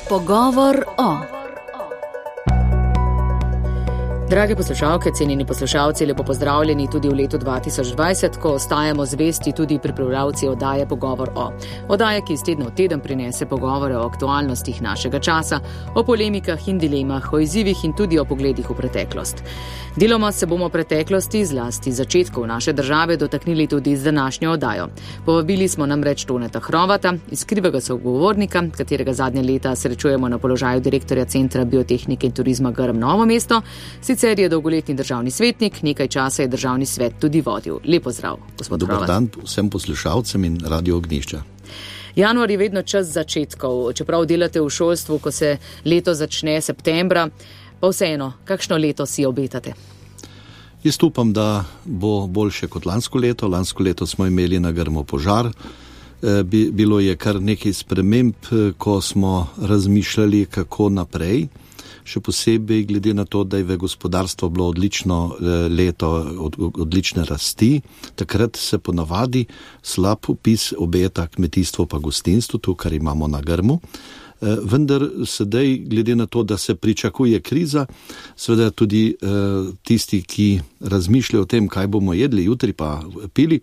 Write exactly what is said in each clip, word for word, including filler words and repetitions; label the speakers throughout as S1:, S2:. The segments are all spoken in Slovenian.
S1: Pogovor o. Drage poslušalke, cenjeni poslušalci, lepo pozdravljeni tudi v letu dva tisoč dvajset, ko ostajamo zvesti tudi pripravljavci oddaje Pogovor o. Oddaje, ki iz tedna v teden prinese pogovore o aktualnostih našega časa, o polemikah in dilemah, o izzivih in tudi o pogledih v preteklost. Deloma se bomo preteklosti, zlasti začetkov naše države, dotaknili tudi z današnjo oddajo. Povabili smo namreč Toneta Hrovata, iskrivega sogovornika, katerega zadnje leta srečujemo na položaju direktorja Centra biotehnike in turizma Grm Novo mesto. Sicer je dolgoletni državni svetnik, nekaj časa je državni svet tudi vodil. Lep pozdrav, gospod Hrovat.
S2: Dobar dan vsem poslušalcem in Radio Ognjišča.
S1: Januar je vedno čas začetkov, čeprav delate v šolstvu, ko se leto začne septembra, pa vseeno, kakšno leto si obetate?
S2: Jaz upam, da bo boljše kot lansko leto. Lansko leto smo imeli na Grmu požar. Bilo je kar nekaj sprememb, ko smo razmišljali, kako naprej. Še posebej glede na to, da je v gospodarstvo bilo odlično leto, odlične rasti, takrat se ponavadi slab opis obeta kmetijstvo pa gostinstvo, to, kar imamo na Grmu. Vendar sedaj, glede na to, da se pričakuje kriza, seveda tudi tisti, ki razmišljajo o tem, kaj bomo jedli jutri pa pili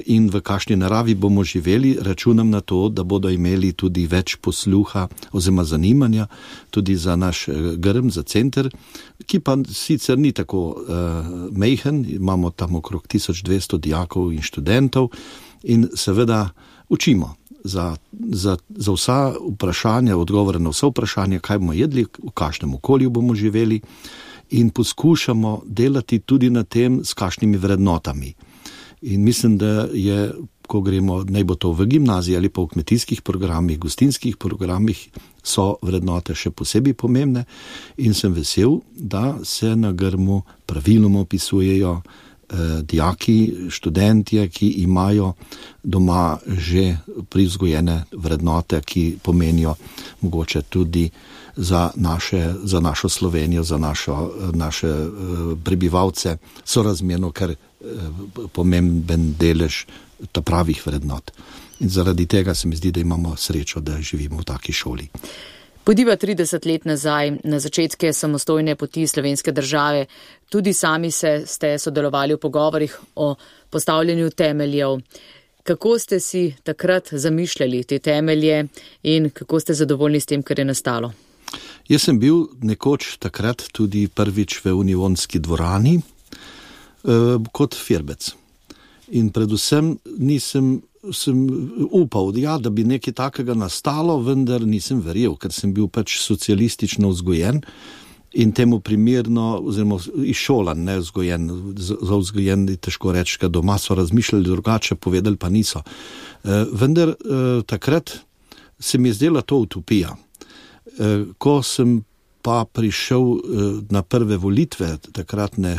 S2: in v kakšni naravi bomo živeli, računam na to, da bodo imeli tudi več posluha oziroma zanimanja tudi za naš Grm, za center, ki pa sicer ni tako mejhen, imamo tam okrog tisoč dvesto dijakov in študentov in seveda učimo. Za, za, za vsa vprašanja, odgovore na vse vprašanja, kaj bomo jedli, v kakšnem okolju bomo živeli in poskušamo delati tudi na tem, s kakšnimi vrednotami. In mislim, da je, ko gremo, naj bo to v gimnaziji ali pa v kmetijskih programih, gostinskih programih, so vrednote še posebej pomembne in sem vesel, da se na Grmu praviloma opisujejo dijaki, študentje, ki imajo doma že privzgojene vrednote, ki pomenijo mogoče tudi za, naše, za našo Slovenijo, za našo, naše prebivalce sorazmerno, ker pomemben delež ta pravih vrednot. In zaradi tega se mi zdi, da imamo srečo, da živimo v taki šoli.
S1: Podiva trideset let nazaj, na začetke samostojne poti slovenske države, tudi sami se ste sodelovali v pogovorih o postavljanju temeljev. Kako ste si takrat zamišljali te temelje in kako ste zadovoljni s tem, kar je nastalo?
S2: Jaz sem bil nekoč takrat tudi prvič v Unionski dvorani eh, kot firbec. In predvsem nisem sem upal, ja, da bi nekaj takega nastalo, vendar nisem verjel, ker sem bil pač socialistično vzgojen in temu primerno, oziroma izšolan, ne vzgojen, za vzgojen je težko reči, ker doma so razmišljali drugače, povedali pa niso. E, vendar e, takrat se mi je zdela to utopija. E, ko sem pa prišel na prve volitve takratne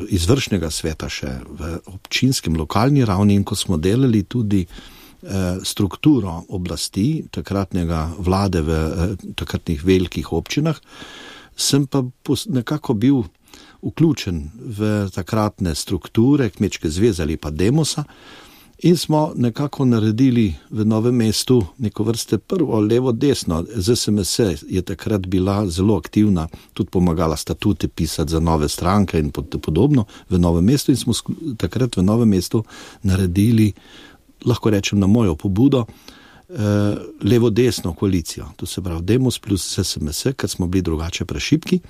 S2: izvršnega sveta še v občinskem lokalni ravni in ko smo delali tudi strukturo oblasti takratnega vlade v takratnih velikih občinah, sem pa nekako bil vključen v takratne strukture Kmečke zveze ali pa Demosa in smo nekako naredili v Novem mestu neko vrste prvo levo-desno. Z S M S je takrat bila zelo aktivna, tudi pomagala statute pisati za nove stranke in podobno v Novem mestu in smo takrat v Novem mestu naredili, lahko rečem na mojo pobudo, levo-desno koalicijo. To se pravi Demos plus S M S, ker smo bili drugače prešibki.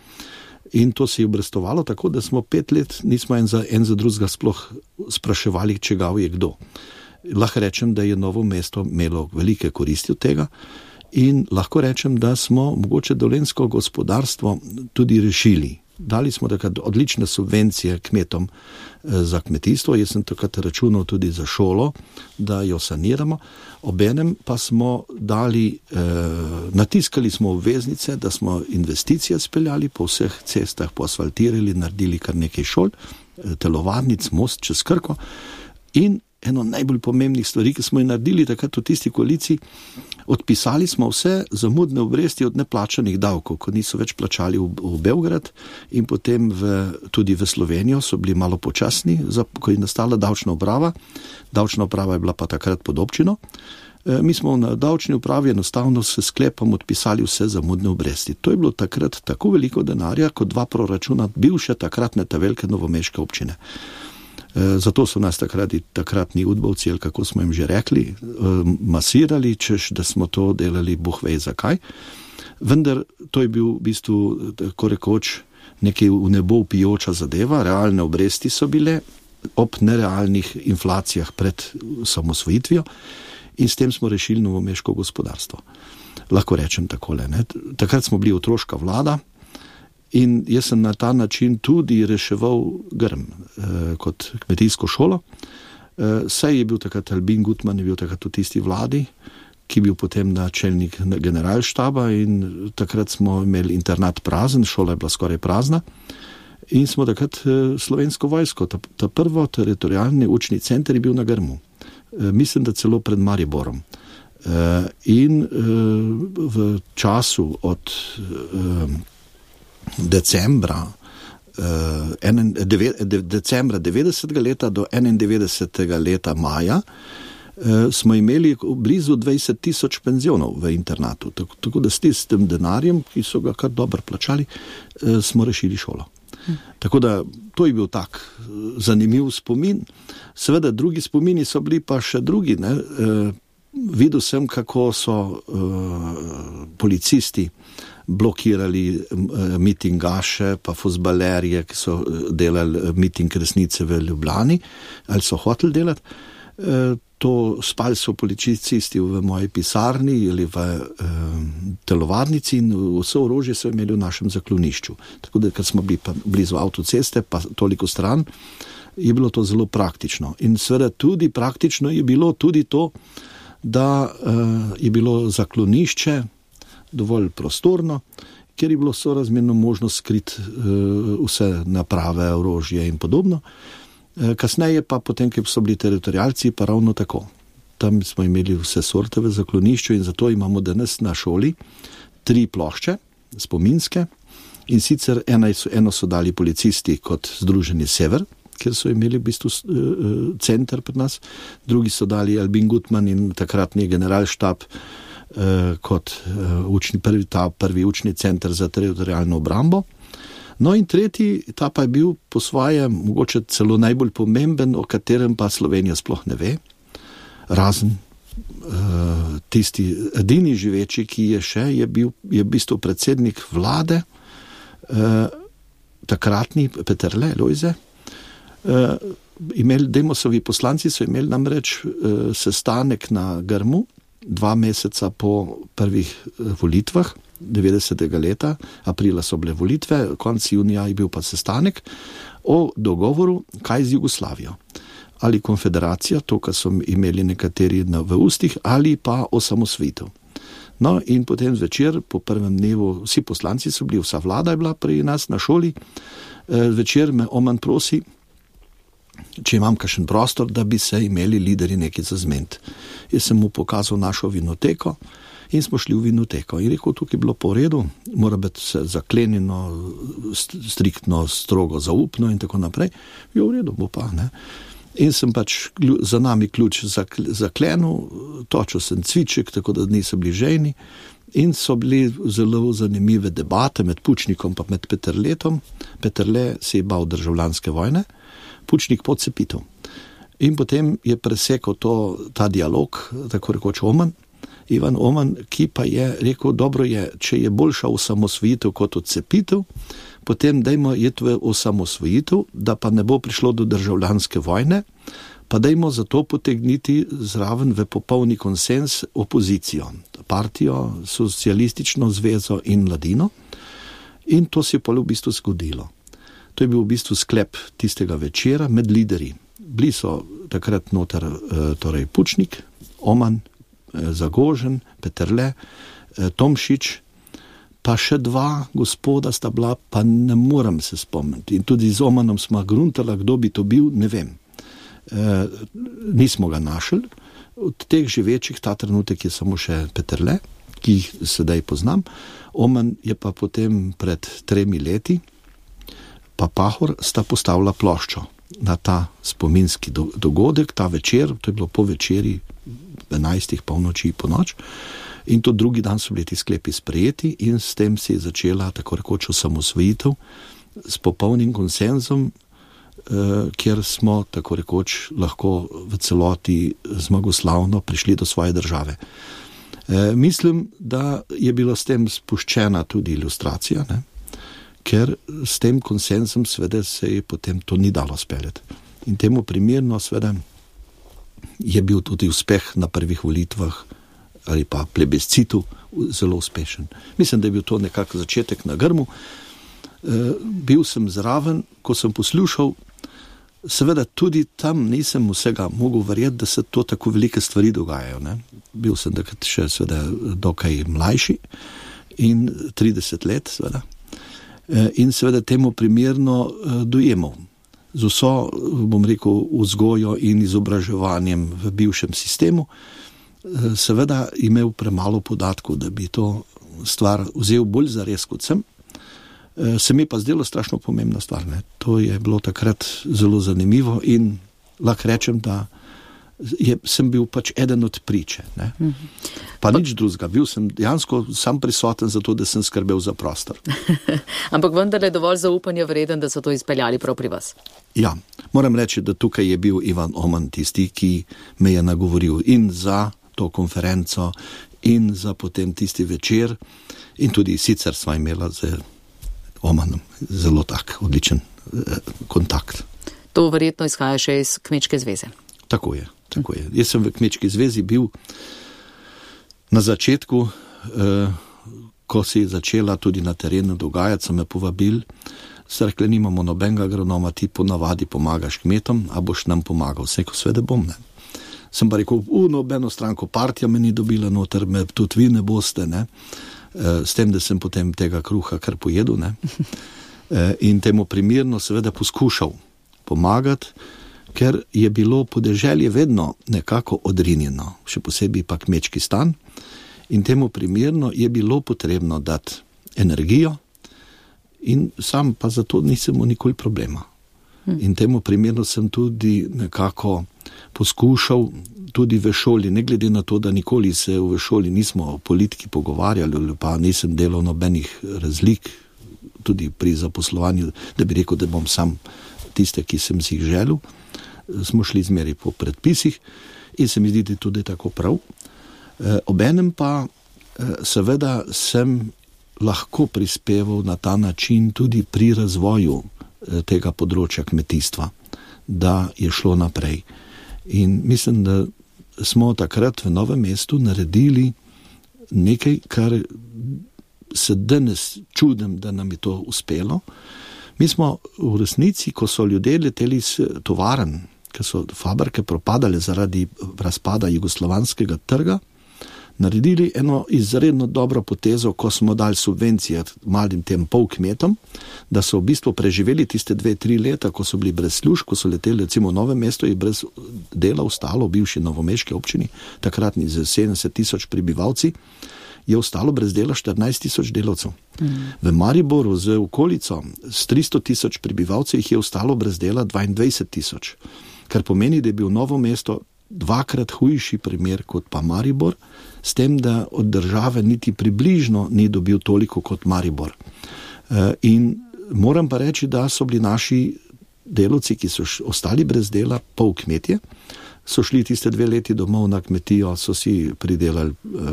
S2: In to se je obrestovalo tako, da smo pet let nismo en za, en za drugega sploh spraševali, čegav je kdo. Lahko rečem, da je Novo mesto imelo velike koristi od tega in lahko rečem, da smo mogoče dolenjsko gospodarstvo tudi rešili. Dali smo takrat odlične subvencije kmetom za kmetijstvo, jaz sem takrat računal tudi za šolo, da jo saniramo. Obenem pa smo dali, eh, natiskali smo obveznice, da smo investicije speljali po vseh cestah, poasfaltirali, naredili kar nekaj šol, telovadnic, most čez Krko in eno najbolj pomembnih stvari, ki smo jih naredili takrat v tisti koaliciji, odpisali smo vse zamudne obresti od neplačanih davkov, ko niso več plačali v, v Beograd in potem v, tudi v Slovenijo so bili malo počasni, za, ko je nastala davčna uprava. Davčna uprava je bila pa takrat pod občino. Mi smo na davčni upravi enostavno se sklepom odpisali vse zamudne obresti. To je bilo takrat tako veliko denarja, kot dva proračuna bivše takratne ta velike novomeške občine. Zato so nas takrati, takratni udbovci, ali kako smo jim že rekli, masirali, češ, da smo to delali Bog ve zakaj. Vendar to je bil v bistvu, tako rekoč, nekaj v nebo vpijoča zadeva, realne obresti so bile ob nerealnih inflacijah pred samosvojitvijo in s tem smo rešili novomeško gospodarstvo. Lahko rečem takole, ne? Takrat smo bili otroška vlada in jaz sem na ta način tudi reševal Grm eh, kot kmetijsko šolo. Eh, saj je bil takrat Albin Gutmann, je bil takrat v tisti vladi, ki je bil potem načelnik generalštaba in takrat smo imeli internat prazen, šola je bila skoraj prazna in smo takrat slovensko vojsko, ta, ta prvo teritorijalni učni center je bil na Grmu. Mislim, da celo pred Mariborom. In v času od decembra, decembra devetdesetega leta do enaindevetdesetega leta maja smo imeli blizu dvajset tisoč penzionov v internatu. Tako, tako da s tistim denarjem, ki so ga kar dobro plačali, smo rešili šolo. Hm. Tako da to je bil tak zanimiv spomin. Seveda drugi spomini so bili pa še drugi. Ne? E, videl sem, kako so e, policisti blokirali e, mitingaše, pa fuzbalerje, ki so delali miting resnice v Ljubljani, ali so hoteli delati. E, To spali so policisti v moji pisarni ali v eh, telovadnici in vse orožje so imeli v našem zaklonišču. Tako da, ker smo bili pa blizu avtoceste, pa toliko stran, je bilo to zelo praktično. In seveda tudi praktično je bilo tudi to, da eh, je bilo zaklonišče dovolj prostorno, ker je bilo sorazmerno možno skriti eh, vse naprave, orožje in podobno. Kasneje pa potem, ko so bili teritorijalci, pa ravno tako. Tam smo imeli vse sorte v zaklonišču in zato imamo danes na šoli tri plošče, spominske, in sicer eno so, eno so dali policisti kot Združeni Sever, kjer so imeli v bistvu uh, center pri nas, drugi so dali Albin Gutmann in takratni generalštab uh, kot uh, učni, prvi, ta prvi učni center za teritorijalno obrambo. No in tretji, ta pa je bil po svoje mogoče celo najbolj pomemben, o katerem pa Slovenija sploh ne ve, razen uh, tisti edini živeči, ki je še, je bil je v bistvu predsednik vlade, uh, takratni Peterle, Lojze. Uh, imeli, Demosovi poslanci so imeli namreč uh, sestanek na Grmu, dva meseca po prvih uh, volitvah, devetdesetega leta, aprila so bile volitve, konc junija je bil pa sestanek o dogovoru, kaj z Jugoslavijo. Ali konfederacija, to, kar so imeli nekateri v ustih, ali pa osamosvojitev. No in potem zvečer, po prvem dnevu, vsi poslanci so bili, vsa vlada je bila pri nas na šoli, zvečer me Oman prosi, če imam kakšen prostor, da bi se imeli lideri nekaj za zment. Jaz sem mu pokazal našo vinoteko, in smo šli v vinoteko. In rekel, tukaj je bilo po redu, mora biti zaklenjeno, striktno, strogo, zaupno in tako naprej. Je v redu, bo pa, ne. In sem pač za nami ključ zaklenil, točil sem cviček, tako da niso bili žejni. In so bili zelo zanimive debate med Pučnikom pa med Peterletom. Peterle se je bal državljanske vojne, Pučnik podcepitev. In potem je presekal to, ta dialog, tako rekoč Oman, Ivan Oman, ki pa je rekel, dobro je, če je boljša osamosvojitev kot odcepitev, potem dajmo iti v osamosvojitev, da pa ne bo prišlo do državljanske vojne, pa dajmo zato potegniti zraven v popolni konsens opozicijo, partijo, socialistično zvezo in mladino. In to se je pa v bistvu zgodilo. To je bil v bistvu sklep tistega večera med lideri. Bili so takrat noter torej Pučnik, Oman, Zagožen, Peterle, Tomšič, pa še dva gospoda sta bila, pa ne morem se spomniti. In tudi z Omanom smo gruntala, kdo bi to bil, ne vem. E, nismo ga našli. Od teh živečih ta trenutek je samo še Peterle, ki jih sedaj poznam. Oman je pa potem pred tremi leti, pa Pahor sta postavila ploščo na ta spominski do, dogodek, ta večer, to je bilo po večeri, enajstih, polnoči, po noč, in to drugi dan so bili ti sklepi sprejeti in s tem se je začela tako rekoč osamosvojitev s popolnim konsenzom, eh, kjer smo tako rekoč lahko v celoti zmagoslavno prišli do svoje države. Eh, mislim, da je bilo s tem spuščena tudi ilustracija, ne? Ker s tem konsenzom seveda se je potem to ni dalo speljati. In temu primerno seveda je bil tudi uspeh na prvih volitvah ali pa plebiscitu zelo uspešen. Mislim, da je bil to nekako začetek na grmu. E, bil sem zraven, ko sem poslušal, seveda tudi tam nisem vsega mogel verjeti, da se to tako velike stvari dogajajo. Ne? Bil sem takrat še seveda dokaj mlajši in trideset let seveda. In seveda temu primerno dojemal. Z vso, bom rekel, vzgojo in izobraževanjem v bivšem sistemu, seveda imel premalo podatkov, da bi to stvar vzel bolj zares kot sem. Se mi pa zdelo strašno pomembna stvar. Ne? To je bilo takrat zelo zanimivo in lahko rečem, da je, sem bil pač eden od priče. Ne? Pa nič drugega. Bil sem dejansko sam prisoten za to, da sem skrbel za prostor.
S1: Ampak vendar je dovolj zaupanja vreden, da so to izpeljali prav pri vas.
S2: Ja, moram reči, da tukaj je bil Ivan Oman tisti, ki me je nagovoril in za to konferenco in za potem tisti večer in tudi sicer sva imela z Omanom zelo tak odličen eh, kontakt.
S1: To verjetno izhaja še iz Kmečke zveze.
S2: Tako je, tako je. Jaz sem v Kmečki zvezi bil na začetku, eh, ko se je začela tudi na terenu dogajati, so me povabili, so rekli, nimamo nobenega agronoma, ti ponavadi pomagaš kmetom, a boš nam pomagal. Vse, ko svede bom, ne. Sem pa rekel, u, nobeno stranko partija me ni dobila noter, me tudi vi ne boste, ne. Eh, s tem, da sem potem tega kruha kar pojedel, ne. Eh, in temu primerno seveda poskušal pomagati, ker je bilo podeželje vedno nekako odrinjeno, še posebej pa kmečki stan, in temu primerno je bilo potrebno dati energijo in sam pa zato nisem imel nikoli problema. In temu primerno sem tudi nekako poskušal tudi v šoli, ne glede na to, da nikoli se v šoli nismo o politiki pogovarjali, ali pa nisem delal nobenih razlik, tudi pri zaposlovanju, da bi rekel, da bom sam tiste, ki sem si jih želel, smo šli zmeri po predpisih in se mi zdi tudi tako prav. E, obenem pa e, seveda sem lahko prispeval na ta način tudi pri razvoju e, tega področja kmetijstva, da je šlo naprej. In mislim, da smo takrat v Novem mestu naredili nekaj, kar se danes čudim, da nam je to uspelo. Mi smo v resnici, ko so ljudje leteli s tovarn, ker so fabrike propadale zaradi razpada jugoslovanskega trga, naredili eno izredno dobro potezo, ko smo dali subvencije malim tem pol kmetom, da so v bistvu preživeli tiste dve, tri leta, ko so bili brez služb, ko so leteli recimo v Novem mestu in brez dela ostalo v bivši novomeški občini, takratni z sedemdeset tisoč prebivalci, je ostalo brez dela štirinajst tisoč delavcev. Mm. V Mariboru z okolico s tristo tisoč prebivalcev jih je ostalo brez dela dvaindvajset tisoč, kar pomeni, da je bil Novo mesto dvakrat hujši primer kot pa Maribor, s tem, da od države niti približno ni dobil toliko kot Maribor. In moram pa reči, da so bili naši delavci, ki so ostali brez dela, pol kmetje, so šli tiste dve leti domov na kmetijo, so si pridelali eh,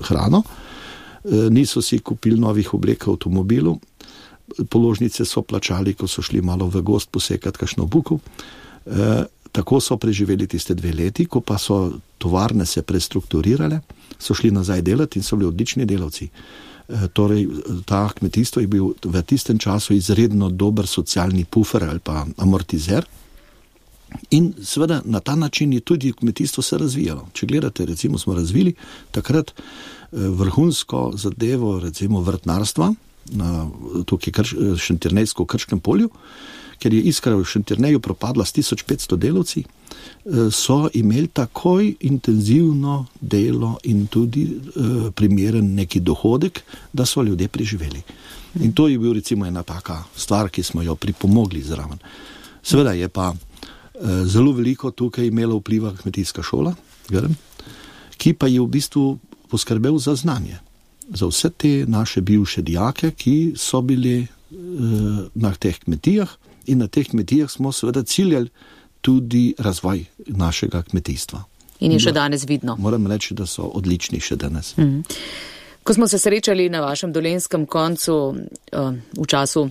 S2: hrano, eh, niso si kupili novih oblek v avtomobilu, položnice so plačali, ko so šli malo v gost posekati kakšno buko. Eh, tako so preživeli tiste dve leti, ko pa so tovarne se prestrukturirale, so šli nazaj delati in so bili odlični delavci. Eh, torej, ta kmetijstvo je bil v tistem času izredno dober socialni pufer ali pa amortizer. In seveda na ta način je tudi kmetijstvo se razvijalo. Če gledate, recimo smo razvili takrat vrhunsko zadevo, recimo vrtnarstva, na tukaj krš, Šentjernejsko v Krškem polju, ker je Iskra v Šentjerneju propadla s tisoč petsto delavci, so imeli takoj intenzivno delo in tudi eh, primeren neki dohodek, da so ljudje preživeli. In to je bil recimo ena taka stvar, ki smo jo pripomogli zraven. Seveda je pa zelo veliko tukaj imela vpliva kmetijska šola, ki pa je v bistvu poskrbel za znanje. Za vse te naše bivše dijake, ki so bili na teh kmetijah in na teh kmetijah smo seveda ciljali tudi razvoj našega kmetijstva.
S1: In je še danes vidno.
S2: Moram reči, da so odlični še danes.
S1: Mm. Ko smo se srečali na vašem dolenjskem koncu v času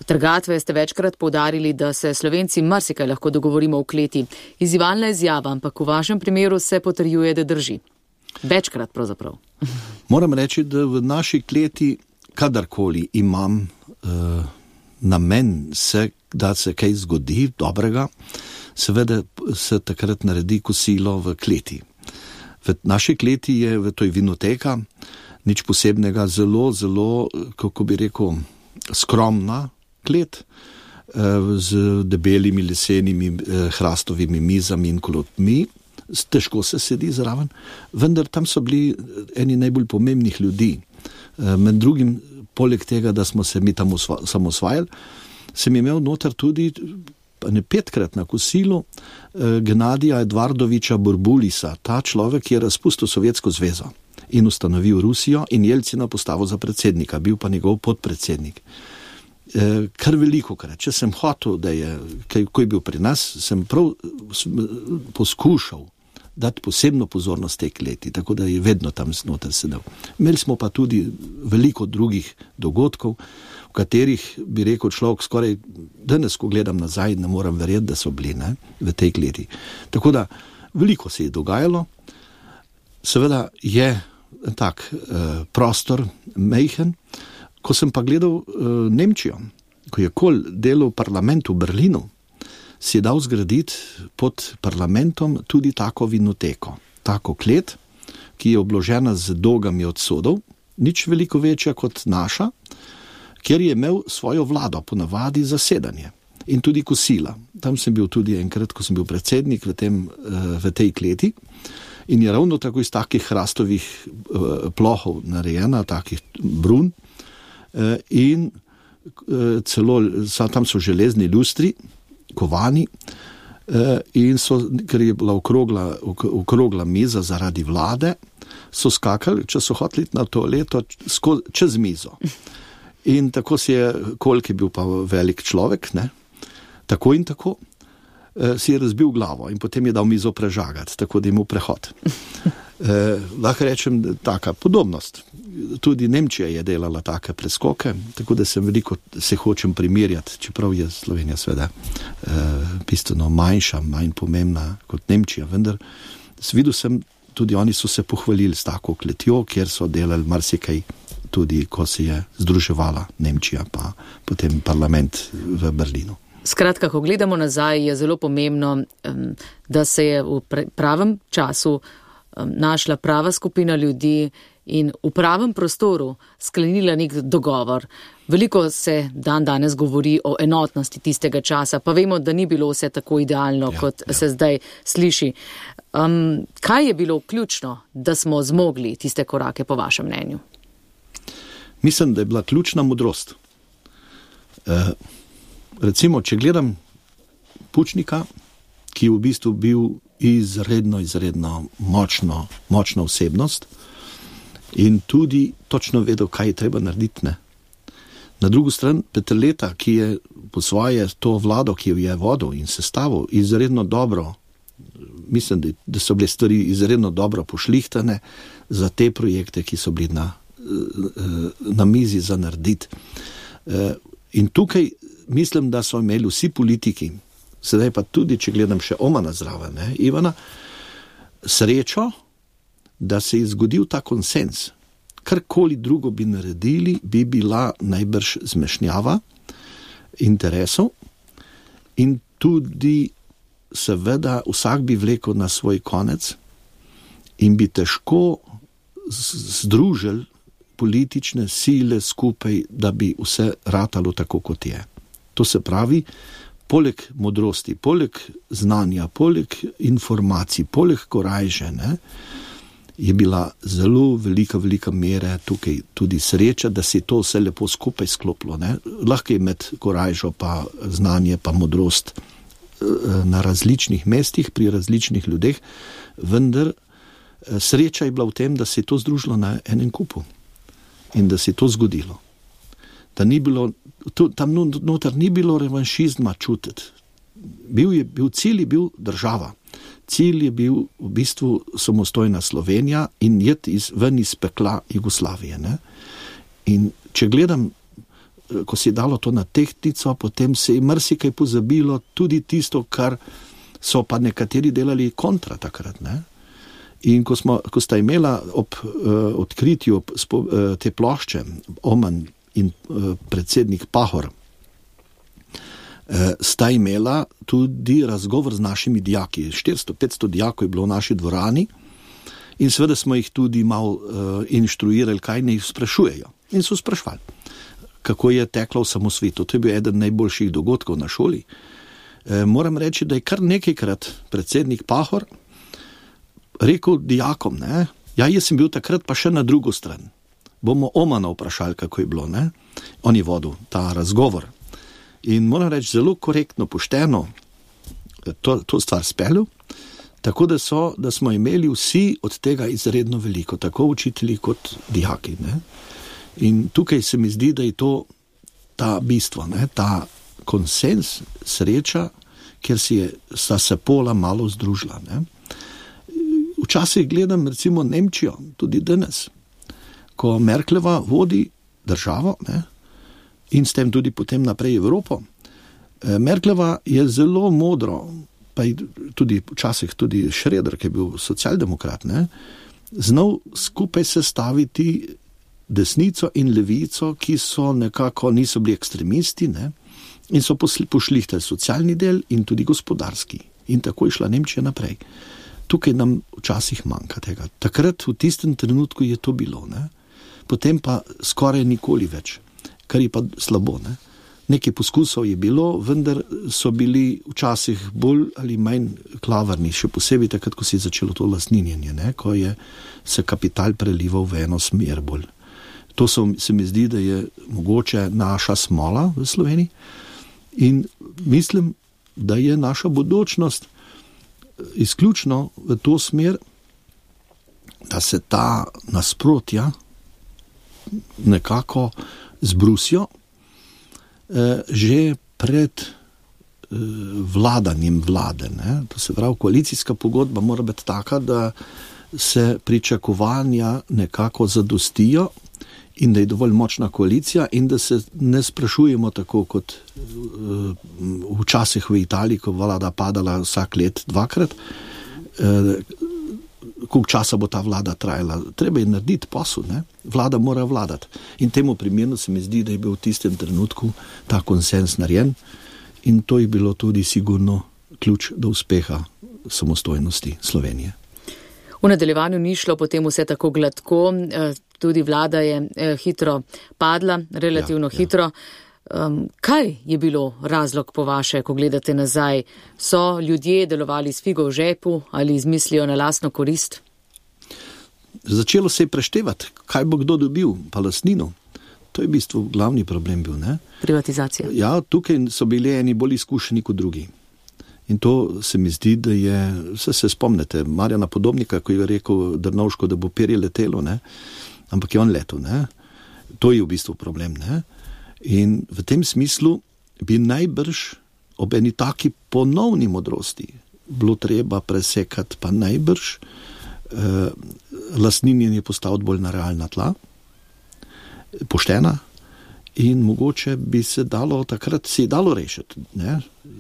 S1: trgatve, ste večkrat poudarili, da se Slovenci marsikaj lahko dogovorimo v kleti. Izzivalna izjava, ampak v vašem primeru se potrjuje, da drži. Večkrat pravzaprav.
S2: Moram reči, da v naši kleti kadarkoli imam uh, namen, se, da se kaj zgodi dobrega, seveda se takrat naredi kosilo v kleti. V naši kleti je, v toj vinoteka, nič posebnega, zelo, zelo, kako bi rekel, skromna klet, z debelimi lesenimi hrastovimi mizami in klopmi, težko se sedi zraven, vendar tam so bili eni najbolj pomembnih ljudi. Med drugim, poleg tega, da smo se mi tam samosvajali, sem imel noter tudi ne petkrat na kosilu Genadija Edvardoviča Burbulisa. Ta človek je razpustil Sovjetsko zvezo in ustanovil Rusijo in Jelcina postavil za predsednika, bil pa njegov podpredsednik. Kar veliko krat, če sem hotel, da je, ko je bil pri nas, sem prav poskušal dati posebno pozornost tej kleti, tako da je vedno tam znotraj sedel. Imeli smo pa tudi veliko drugih dogodkov, v katerih bi rekel človek skoraj, danes, ko gledam nazaj, ne moram verjeti, da so bili ne, v tej kleti. Tako da veliko se je dogajalo, seveda je tak eh, prostor mejhen. Ko sem pa gledal uh, Nemčijo, ko je Kohl delal parlament v Berlinu, si je dal zgraditi pod parlamentom tudi tako vinoteko, tako klet, ki je obložena z dogami od sodov, nič veliko večja kot naša, kjer je imel svojo vlado, ponavadi zasedanje in tudi kosila. Tam sem bil tudi enkrat, ko sem bil predsednik v, tem, uh, v tej kleti in je ravno tako iz takih hrastovih uh, plohov narejena, takih brun, in celo tam so železni lustri, kovani, in so, ker je bila okrogla, okrogla miza zaradi vlade, so skakali, če so hoteli na toaleto, čez mizo. In tako si je, koliko je bil pa velik človek, ne, tako in tako, si je razbil glavo in potem je dal mizo prežagati, tako da je imel prehod. Eh, lahko rečem, taka podobnost. Tudi Nemčija je delala take preskoke, tako da sem veliko se hočem primerjati, čeprav je Slovenija sveda eh, bistveno manjša, manj pomembna kot Nemčija, vendar videl sem, tudi oni so se pohvalili s tako kletjo, kjer so delali marsikaj, tudi ko se je združevala Nemčija, pa potem parlament v Berlinu.
S1: Skratka, ko gledamo nazaj, je zelo pomembno, da se je v pravem času našla prava skupina ljudi in v pravem prostoru sklenila nek dogovor. Veliko se dan danes govori o enotnosti tistega časa, pa vemo, da ni bilo vse tako idealno, ja, kot ja. se zdaj sliši. Um, kaj je bilo ključno, da smo zmogli tiste korake, po vašem mnenju?
S2: Mislim, da je bila ključna modrost. Uh, recimo, če gledam Pučnika, ki je v bistvu bil izredno, izredno močno, močna osebnost in tudi točno vedel, kaj je treba narediti. Ne? Na drugo stran Peterleta, ki je po svoje to vlado, ki jo je vodil in sestavil, izredno dobro, mislim, da, da so bile stvari izredno dobro pošlihtane za te projekte, ki so bili na, na mizi za narediti. In tukaj mislim, da so imeli vsi politiki, sedaj pa tudi, če gledam še Omana zraven, ne, Ivana, srečo, da se je zgodil ta konsens. Karkoli drugo bi naredili, bi bila najbrž zmešnjava interesov in tudi seveda vsak bi vlekel na svoj konec in bi težko združili politične sile skupaj, da bi vse ratalo tako, kot je. To se pravi, poleg modrosti, poleg znanja, poleg informacij, poleg korajže, ne, je bila zelo velika, velika mera tukaj tudi sreča, da se je to vse lepo skupaj sklopilo. Ne? Lahko je med korajžo pa znanje pa modrost na različnih mestih, pri različnih ljudeh, vendar sreča je bila v tem, da se je to združilo na enem kupu in da se je to zgodilo. Da ni bilo, tam noter ni bilo revanšizma čutiti. Bil je, bil cilj je bil država. Cilj je bil v bistvu samostojna Slovenija in jet iz, ven iz pekla Jugoslavije. Ne? In če gledam, ko se je dalo to na tehtnico, potem se je marsikaj pozabilo, tudi tisto, kar so pa nekateri delali kontra takrat. Ne? In ko, smo, ko sta imela ob uh, odkritju spo, uh, te plošče, Oman in uh, predsednik Pahor, uh, sta imela tudi razgovor z našimi dijaki. štiristo petsto dijakov je bilo v naši dvorani in seveda smo jih tudi malo uh, inštruirali, kaj ne jih sprašujejo. In so sprašvali, kako je teklo v samosvetu. To je bil eden najboljših dogodkov na šoli. E, moram reči, da je kar nekajkrat predsednik Pahor rekel dijakom, ne, ja, jaz sem bil takrat pa še na drugo stran. Bomo Omana vprašali, kako je bilo, ne. On je vodil ta razgovor. In moram reči, zelo korektno, pošteno to, to stvar speljal, tako da, so, da smo imeli vsi od tega izredno veliko, tako učitelji kot dijaki, ne. In tukaj se mi zdi, da je to ta bistvo, ne, ta konsens, sreča, kjer si je, sta se pola malo združila. Ne. Včasih gledam recimo Nemčijo, tudi danes, ko Merklova vodi državo, ne, in s tem tudi potem naprej Evropo. Merklova je zelo modro, pa tudi včasih tudi Schröder, ki je bil socialdemokrat, ne, znal skupaj sestaviti desnico in levico, ki so nekako niso bili ekstremisti, ne, in so pošlihtali socialni del in tudi gospodarski. In tako je šla Nemčija naprej. Tukaj nam včasih manjka tega. Takrat v tistem trenutku je to bilo, ne. Potem pa skoraj nikoli več, kar je pa slabo, ne. Nekaj poskusov je bilo, vendar so bili včasih bolj ali manj klavrni, še posebej takrat, ko se je začelo to lastninjenje, ne, ko je se kapital prelival v eno smer bolj. To so, se mi zdi, da je mogoče naša smola v Sloveniji in mislim, da je naša bodočnost izključno v to smer, da se ta nasprotja nekako zbrusijo eh, že pred eh, vladanjem vlade. Ne? To se pravi, koalicijska pogodba mora biti taka, da se pričakovanja nekako zadostijo in da je dovolj močna koalicija in da se ne sprašujemo tako kot uh, včasih v Italiji, ko vlada padala vsak let dvakrat, uh, koliko časa bo ta vlada trajala. Treba je narediti posel, ne? Vlada mora vladati. In temu primerno se mi zdi, da je bil v tistem trenutku ta konsens narejen in to je bilo tudi sigurno ključ do uspeha samostojnosti Slovenije.
S1: V nadaljevanju ni šlo potem vse tako gladko, tudi vlada je hitro padla, relativno ja, hitro. Ja. Um, kaj je bilo razlog po vaše, ko gledate nazaj? So ljudje delovali s figo v žepu ali izmislijo na lastno korist?
S2: Začelo se je preštevati, kaj bo kdo dobil, pa lastnino. To je v bistvu glavni problem bil, ne?
S1: Privatizacija.
S2: Ja, tukaj so bili eni bolj izkušeni kot drugi. In to se mi zdi, da je, vse se spomnite, Marjana Podobnika, ko je rekel Drnovško, da bo perje letelo, ne? Ampak je on letel, ne? To je v bistvu problem, ne? In v tem smislu bi najbrž ob eni taki ponovni modrosti bilo treba presekati pa najbrž eh, lastninjenje postaviti bolj na realna tla, poštena, in mogoče bi se dalo takrat si dalo rešiti, ne?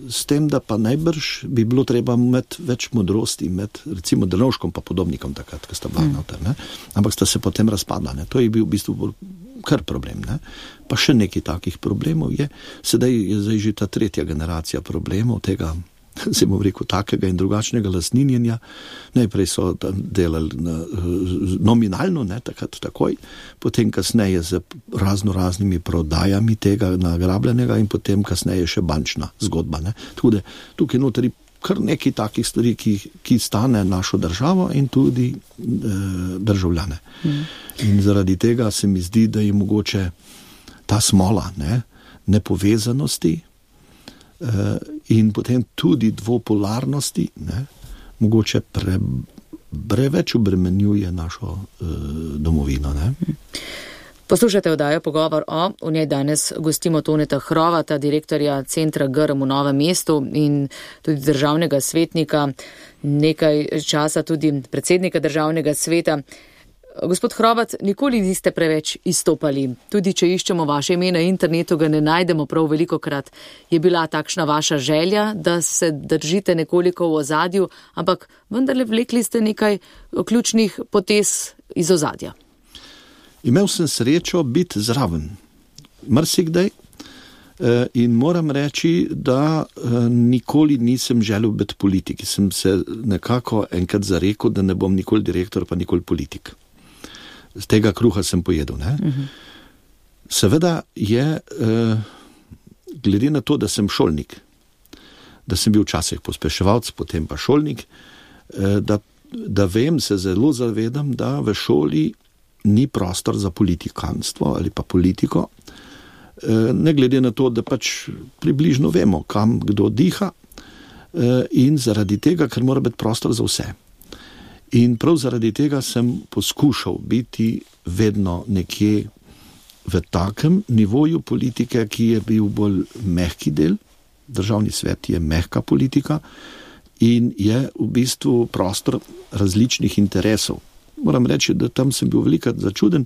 S2: S tem, da pa najbrž bi bilo treba imeti več modrosti med recimo Drnovškom pa Podobnikom takrat, ko sta bila mm. noter, ne? Ampak sta se potem razpadla, ne? To je bil v bistvu bolj kar problem, ne? Pa še nekaj takih problemov je, sedaj je zdaj že ta tretja generacija problemov tega, se bom rekel, takega in drugačnega lastninjenja. Najprej so delali na, nominalno, ne, takrat takoj, potem kasneje z razno raznimi prodajami tega nagrabljenega in potem kasneje še bančna zgodba, ne. Tako da tukaj notri kar nekaj takih stvari, ki, ki stane našo državo in tudi e, državljane. Mm. In zaradi tega se mi zdi, da je mogoče ta smola, ne, nepovezanosti e, in potem tudi dvopolarnosti, ne, mogoče pre, preveč obremenjuje našo e, domovino. Ne. Mm.
S1: Poslušate oddajo Pogovor o, v njej danes gostimo Toneta Hrovata, direktorja Centra Grm v Novem mestu in tudi državnega svetnika, nekaj časa tudi predsednika državnega sveta. Gospod Hrovat, nikoli niste preveč izstopali. Tudi če iščemo vaše ime na internetu, ga ne najdemo prav velikokrat. Je bila takšna vaša želja, da se držite nekoliko v ozadju, ampak vendarle vlekli ste nekaj ključnih potez iz ozadja.
S2: Imel sem srečo biti zraven, marsikdaj, in moram reči, da nikoli nisem želel biti politik. Sem se nekako enkrat zarekel, da ne bom nikoli direktor, pa nikoli politik. Z tega kruha sem pojedel. Ne? Uh-huh. Seveda je, glede na to, da sem šolnik, da sem bil včasih pospeševalc, potem pa šolnik, da, da vem, se zelo zavedam, da v šoli ni prostor za politikanstvo ali pa politiko, ne glede na to, da pač približno vemo, kam kdo diha, in zaradi tega, ker mora biti prostor za vse. In prav zaradi tega sem poskušal biti vedno nekje v takem nivoju politike, ki je bil bolj mehki del. Državni svet je mehka politika in je v bistvu prostor različnih interesov. Moram reči, da tam sem bil velikrat začuden,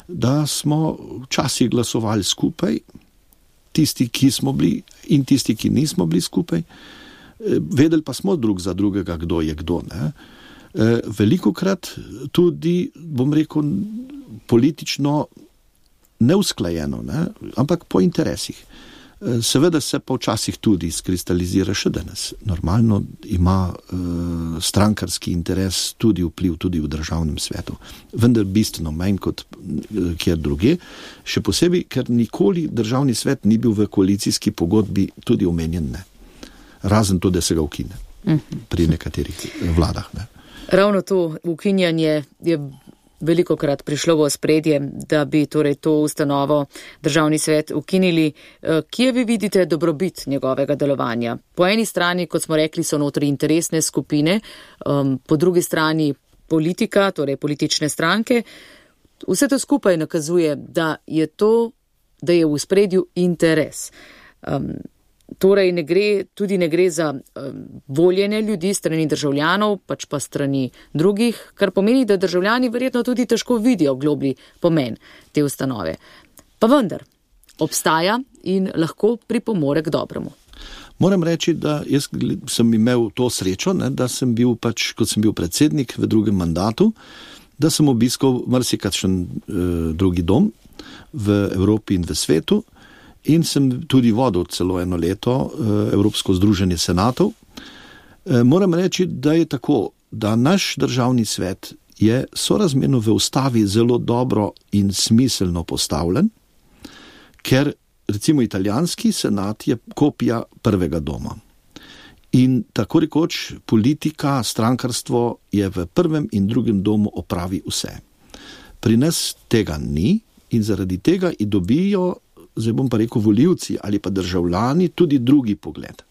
S2: da smo včasih glasovali skupaj, tisti, ki smo bili in tisti, ki nismo bili skupaj. Vedeli pa smo drug za drugega, kdo je kdo. Ne? Velikokrat tudi, bom rekel, politično neusklajeno, ne? Ampak po interesih. Seveda se pa včasih tudi skristalizira še danes. Normalno ima uh, strankarski interes tudi vpliv tudi v državnem svetu. Vendar bistveno manj kot uh, kjer druge. Še posebej, ker nikoli državni svet ni bil v koalicijski pogodbi tudi omenjen. Ne. Razen to, da se ga ukine pri nekaterih vladah. Ne.
S1: Ravno to ukinjanje je velikokrat prišlo v ospredje, da bi torej to ustanovo državni svet ukinili. Kje vi vidite dobrobit njegovega delovanja? Po eni strani, kot smo rekli, so notri interesne skupine, um, po drugi strani politika, torej politične stranke. Vse to skupaj nakazuje, da je to, da je v ospredju interes. Um, Torej ne gre, tudi ne gre za um, voljenje ljudi strani državljanov, pač pa strani drugih, kar pomeni, da državljani verjetno tudi težko vidijo globlji pomen te ustanove. Pa vendar, obstaja in lahko pripomore k dobremu.
S2: Moram reči, da jaz sem imel to srečo, ne, da sem bil pač, kot sem bil predsednik v drugem mandatu, da sem obiskal marsikakšen eh, drugi dom v Evropi in v svetu, in sem tudi vodil celo eno leto Evropsko združenje senatov. Moram reči, da je tako, da naš državni svet je sorazmerno v ustavi zelo dobro in smiselno postavljen, ker recimo italijanski senat je kopija prvega doma. In tako rekoč politika, strankarstvo je v prvem in drugem domu opravi vse. Pri nas tega ni in zaradi tega i dobijo, zdaj bom pa rekel, volivci ali pa državljani tudi drugi pogled.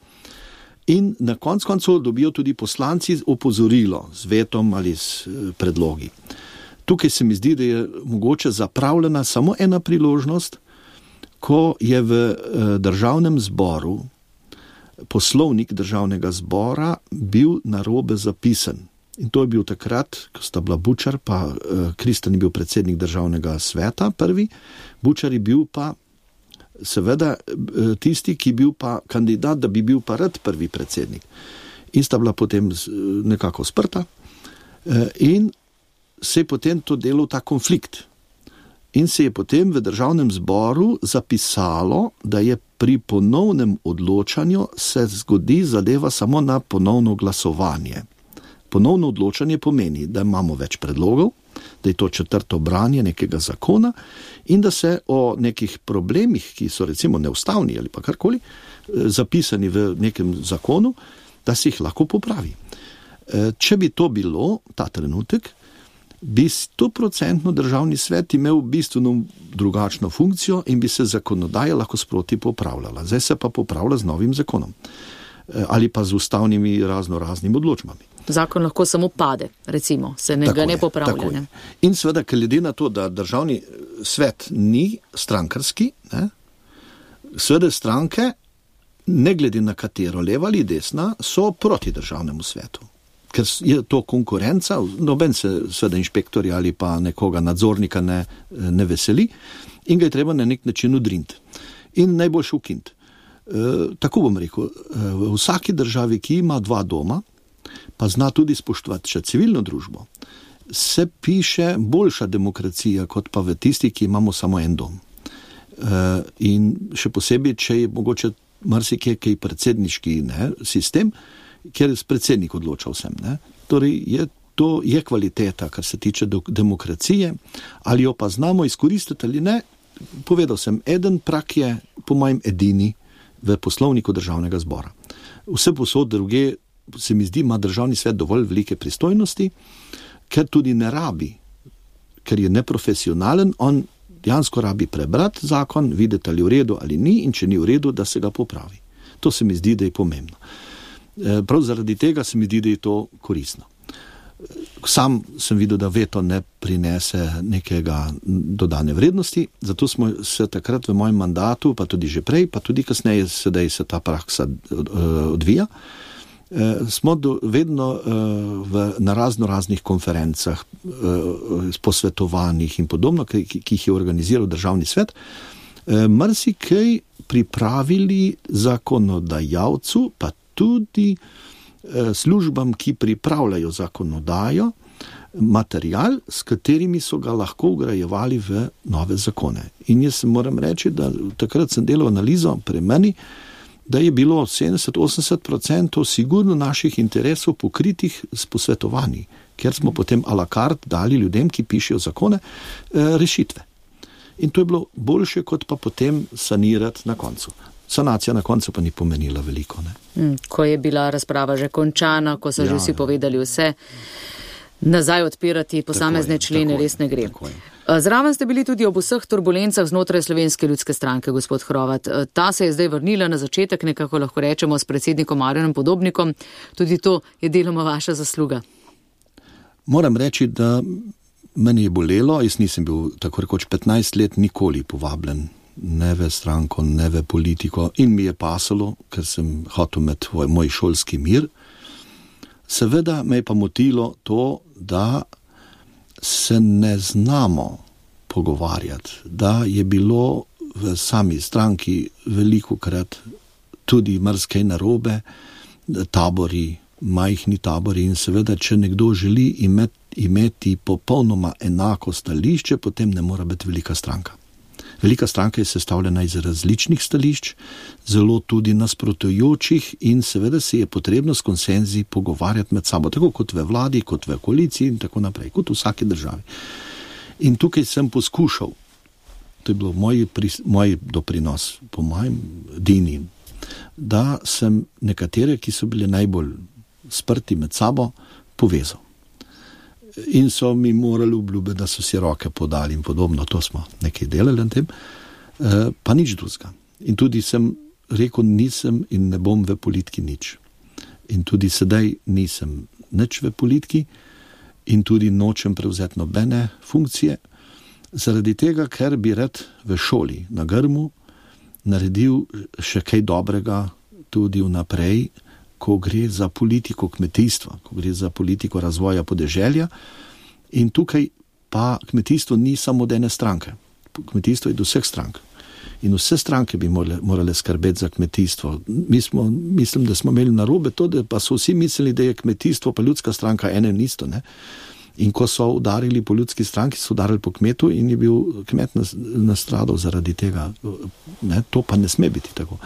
S2: In na konc koncu dobijo tudi poslanci opozorilo z vetom ali s predlogi. Tukaj se mi zdi, da je mogoče zapravljena samo ena priložnost, ko je v državnem zboru poslovnik državnega zbora bil narobe zapisan. In to je bil takrat, ko sta bila Bučar, pa Kristan je bil predsednik državnega sveta prvi, Bučar je bil pa seveda tisti, ki je bil pa kandidat, da bi bil pa rad prvi predsednik. In sta bila potem nekako sprta in se je potem to delal ta konflikt. In se je potem v državnem zboru zapisalo, da je pri ponovnem odločanju se zgodi zadeva samo na ponovno glasovanje. Ponovno odločanje pomeni, da imamo več predlogov, da je to četrto branje nekega zakona in da se o nekih problemih, ki so recimo neustavni ali pa karkoli, zapisani v nekem zakonu, da se jih lahko popravi. Če bi to bilo, ta trenutek, bi stoprocentno državni svet imel bistveno drugačno funkcijo in bi se zakonodaja lahko sproti popravljala. Zdaj se pa popravlja z novim zakonom ali pa z ustavnimi razno raznimi odločbami.
S1: Zakon lahko samo pade, recimo, se ne, ga ne popravlja. Ne?
S2: In seveda, glede na to, da državni svet ni strankarski, ne, seveda stranke, ne glede na katero, leva ali desna, so proti državnemu svetu. Ker je to konkurenca, noben se seveda inšpektorja ali pa nekoga nadzornika ne, ne veseli in ga je treba na nek način udriniti. In najboljše ukiniti. E, tako bom rekel, v vsaki državi, ki ima dva doma, pa zna tudi spoštovati še civilno družbo, se piše boljša demokracija, kot pa v tisti, ki imamo samo en dom. E, in še posebej, če je mogoče marsikaj kaj predsedniški ne, sistem, kjer predsednik odloča vsem. Ne? Torej, je, to je kvaliteta, kar se tiče do, demokracije, ali jo pa znamo izkoristiti ali ne. Povedal sem, eden prak je po mojem edini v poslovniku državnega zbora. Vse posod druge, se mi zdi, ima državni svet dovolj velike pristojnosti, ker tudi ne rabi, ker je neprofesionalen, on dejansko rabi prebrati zakon, videti ali v redu ali ni in če ni v redu, da se ga popravi. To se mi zdi, da je pomembno. Prav zaradi tega se mi zdi, da je to koristno. Sam sem videl, da veto ne prinese nekega dodane vrednosti, zato smo se takrat v mojem mandatu, pa tudi že prej, pa tudi kasneje sedaj se ta praksa odvija, smo do, vedno v, na razno raznih konferencah, posvetovanjih in podobno, ki, ki jih je organiziral državni svet, marsikaj pripravili zakonodajalcu, pa tudi službam, ki pripravljajo zakonodajo, material, s katerimi so ga lahko ugrajevali v nove zakone. In jaz moram reči, da takrat sem delal analizo pri meni, da je bilo sedemdeset do osemdeset procentov sigurno naših interesov pokritih s posvetovanji, ker smo potem a la carte dali ljudem, ki pišejo zakone, rešitve. In to je bilo boljše, kot pa potem sanirati na koncu. Sanacija na koncu pa ni pomenila veliko. Ne?
S1: Ko je bila razprava že končana, ko so ja, že vsi povedali vse, nazaj odpirati posamezne je, člene res ne gre. Zraven ste bili tudi ob vseh turbulencah znotraj Slovenske ljudske stranke, gospod Hrovat. Ta se je zdaj vrnila na začetek, nekako lahko rečemo, s predsednikom Marjanom Podobnikom. Tudi to je deloma vaša zasluga.
S2: Moram reči, da meni je bolelo, jaz nisem bil tako rekoč petnajst let nikoli povabljen ne v stranko, ne v politiko in mi je pasalo, ker sem hotel imeti moj šolski mir. Seveda me je pa motilo to, da se ne znamo pogovarjati, da je bilo v sami stranki velikokrat tudi marsikaj narobe, tabori, majhni tabori in seveda, če nekdo želi imeti, imeti popolnoma enako stališče, potem ne mora biti velika stranka. Velika stranka je sestavljena iz različnih stališč, zelo tudi nasprotujočih in seveda se je potrebno s konsenzi pogovarjati med sabo, tako kot v vladi, kot v koaliciji in tako naprej, kot v vsaki državi. In tukaj sem poskušal, to je bilo moj, moj doprinos, po mojem dini, da sem nekatere, ki so bile najbolj sprti med sabo, povezal. In so mi morali obljubiti, da so si roke podali in podobno, to smo nekaj delali na tem, pa nič drugega. In tudi sem rekel, nisem in ne bom v politiki nič. In tudi sedaj nisem nič v politiki in tudi nočem prevzeti nobene funkcije, zaradi tega, ker bi rad v šoli na Grmu naredil še kaj dobrega tudi vnaprej, ko gre za politiko kmetijstva, ko gre za politiko razvoja podeželja. In tukaj pa kmetijstvo ni samo od ene stranke. Kmetijstvo je do vseh strank. In vse stranke bi morale, morale skrbeti za kmetijstvo. Mi smo, mislim, da smo imeli narobe to, da pa so vsi mislili, da je kmetijstvo pa ljudska stranka ene in isto. Ne? In ko so udarili po ljudski stranki, so udarili po kmetu in je bil kmet nastradal zaradi tega. Ne? To pa ne sme biti tako.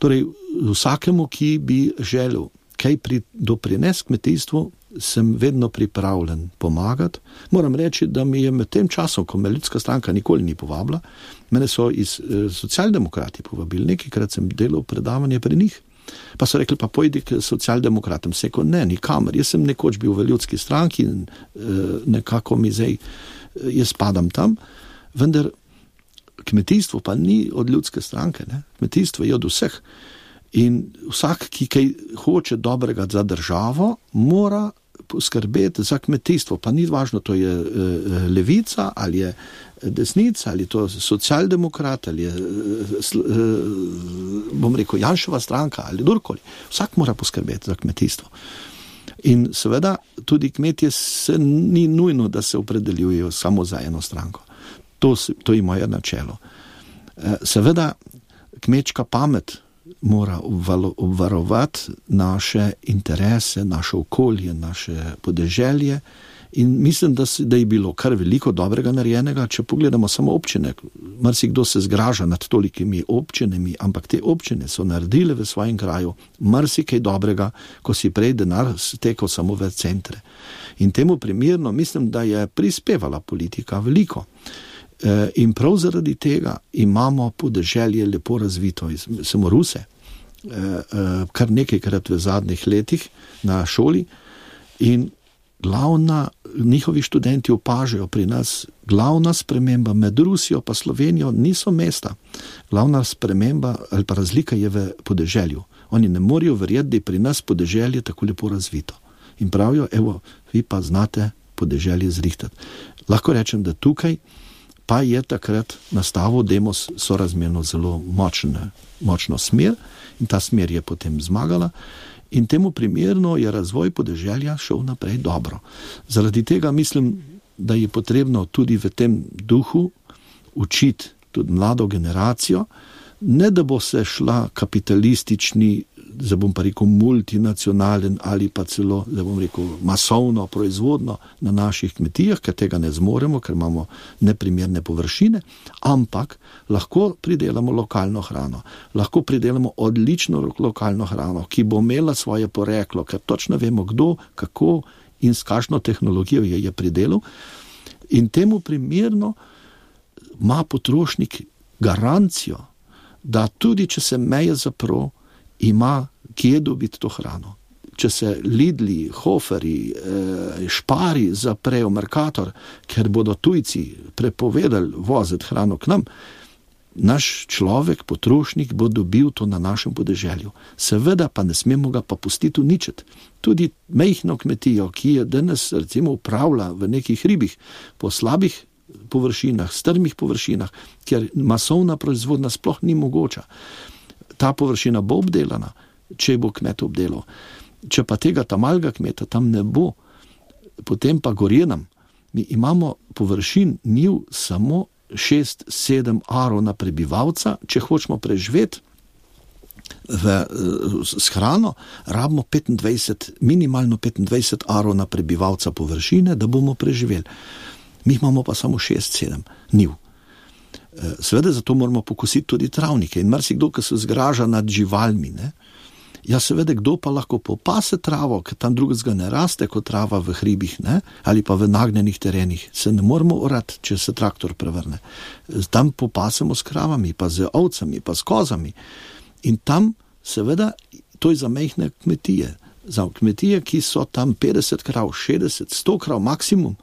S2: Torej, vsakemu, ki bi želel kaj pri, doprinesti kmetijstvu, sem vedno pripravljen pomagati. Moram reči, da mi je med tem časom, ko me ljudska stranka nikoli ni povabila, mene so iz eh, socialdemokrati povabili, nekajkrat sem delal predavanje pri njih Pa so rekli, pa pojdi k socialdemokratom. Se rekel, ne, nikamer. Jaz sem nekoč bil v ljudski stranki in nekako mi zdaj, jaz spadam tam, vendar kmetijstvo pa ni od ljudske stranke, ne? Kmetijstvo je od vseh. In vsak, ki kaj hoče dobrega za državo, mora poskrbeti za kmetijstvo. Pa ni važno, to je levica, ali je desnica, ali to socialdemokrat, ali je, bom rekel, Janševa stranka, ali kdorkoli. Vsak mora poskrbeti za kmetijstvo. In seveda tudi kmetje se ni nujno, da se opredeljujejo samo za eno stranko. To, to je moje načelo. Seveda kmečka pamet mora obvarovati naše interese, naše okolje, naše podeželje in mislim, da, si, da je bilo kar veliko dobrega narejenega, če pogledamo samo občine. Marsikdo se zgraža nad tolikimi občinami, ampak te občine so naredile v svojem kraju marsikaj dobrega, ko si prej denar stekel samo v centre. In temu primerno mislim, da je prispevala politika veliko. In prav zaradi tega imamo podeželje lepo razvito. Samo Ruse, kar nekajkrat v zadnjih letih na šoli in glavna, njihovi študenti opažajo pri nas, glavna sprememba med Rusijo pa Slovenijo niso mesta. Glavna sprememba ali pa razlika je v podeželju. Oni ne morejo verjeti, da je pri nas podeželje tako lepo razvito. In pravijo, evo, vi pa znate podeželje zrihtati. Lahko rečem, da tukaj pa je takrat nastavil Demos sorazmerno zelo močne, močno smer in ta smer je potem zmagala in temu primerno je razvoj podeželja šel naprej dobro. Zaradi tega mislim, da je potrebno tudi v tem duhu učiti tudi mlado generacijo, ne da bo se šla kapitalistični, da bom pa rekel multinacionalen ali pa celo, da bom rekel masovno proizvodno na naših kmetijah, ker tega ne zmoremo, ker imamo neprimerne površine, ampak lahko pridelamo lokalno hrano, lahko pridelamo odlično lokalno hrano, ki bo imela svoje poreklo, ker točno vemo kdo, kako in s kakšno tehnologijo je, je pridelal in temu primerno ima potrošnik garancijo, da tudi če se meje zapro, ima kje dobiti to hrano. Če se Lidli, Hoferji, Špari zaprejo Mercator, ker bodo tujci prepovedali voziti hrano k nam, naš človek, potrošnik, bo dobil to na našem podeželju. Seveda pa ne smemo ga pa pustiti uničiti. Tudi majhno kmetijo, ki je danes recimo upravlja v nekih hribih, po slabih površinah, strmih površinah, kjer masovna proizvodnja sploh ni mogoča. Ta površina bo obdelana, če bo kmet obdelal. Če pa tega tamalga kmeta tam ne bo, potem pa gorje nam. Mi imamo površin njiv samo šest sedem arov na prebivalca, če hočemo preživeti v, s hrano, rabimo petindvajset, minimalno petindvajset arov na prebivalca površine, da bomo preživeli. Mi imamo pa samo šest sedem njiv. Seveda zato moramo pokositi tudi travnike in marsikdo, ki se zgraža nad živalmi, ne? Ja, seveda, kdo pa lahko popase travo, ker tam drugega ne raste kot trava v hribih, ne? Ali pa v nagnjenih terenih. Se ne moramo orati, če se traktor prevrne. Tam popasemo s kravami, pa z ovcami, pa s kozami. In tam, seveda, to je za majhne kmetije. Za kmetije, ki so tam petdeset krav, šestdeset, sto krav maksimum.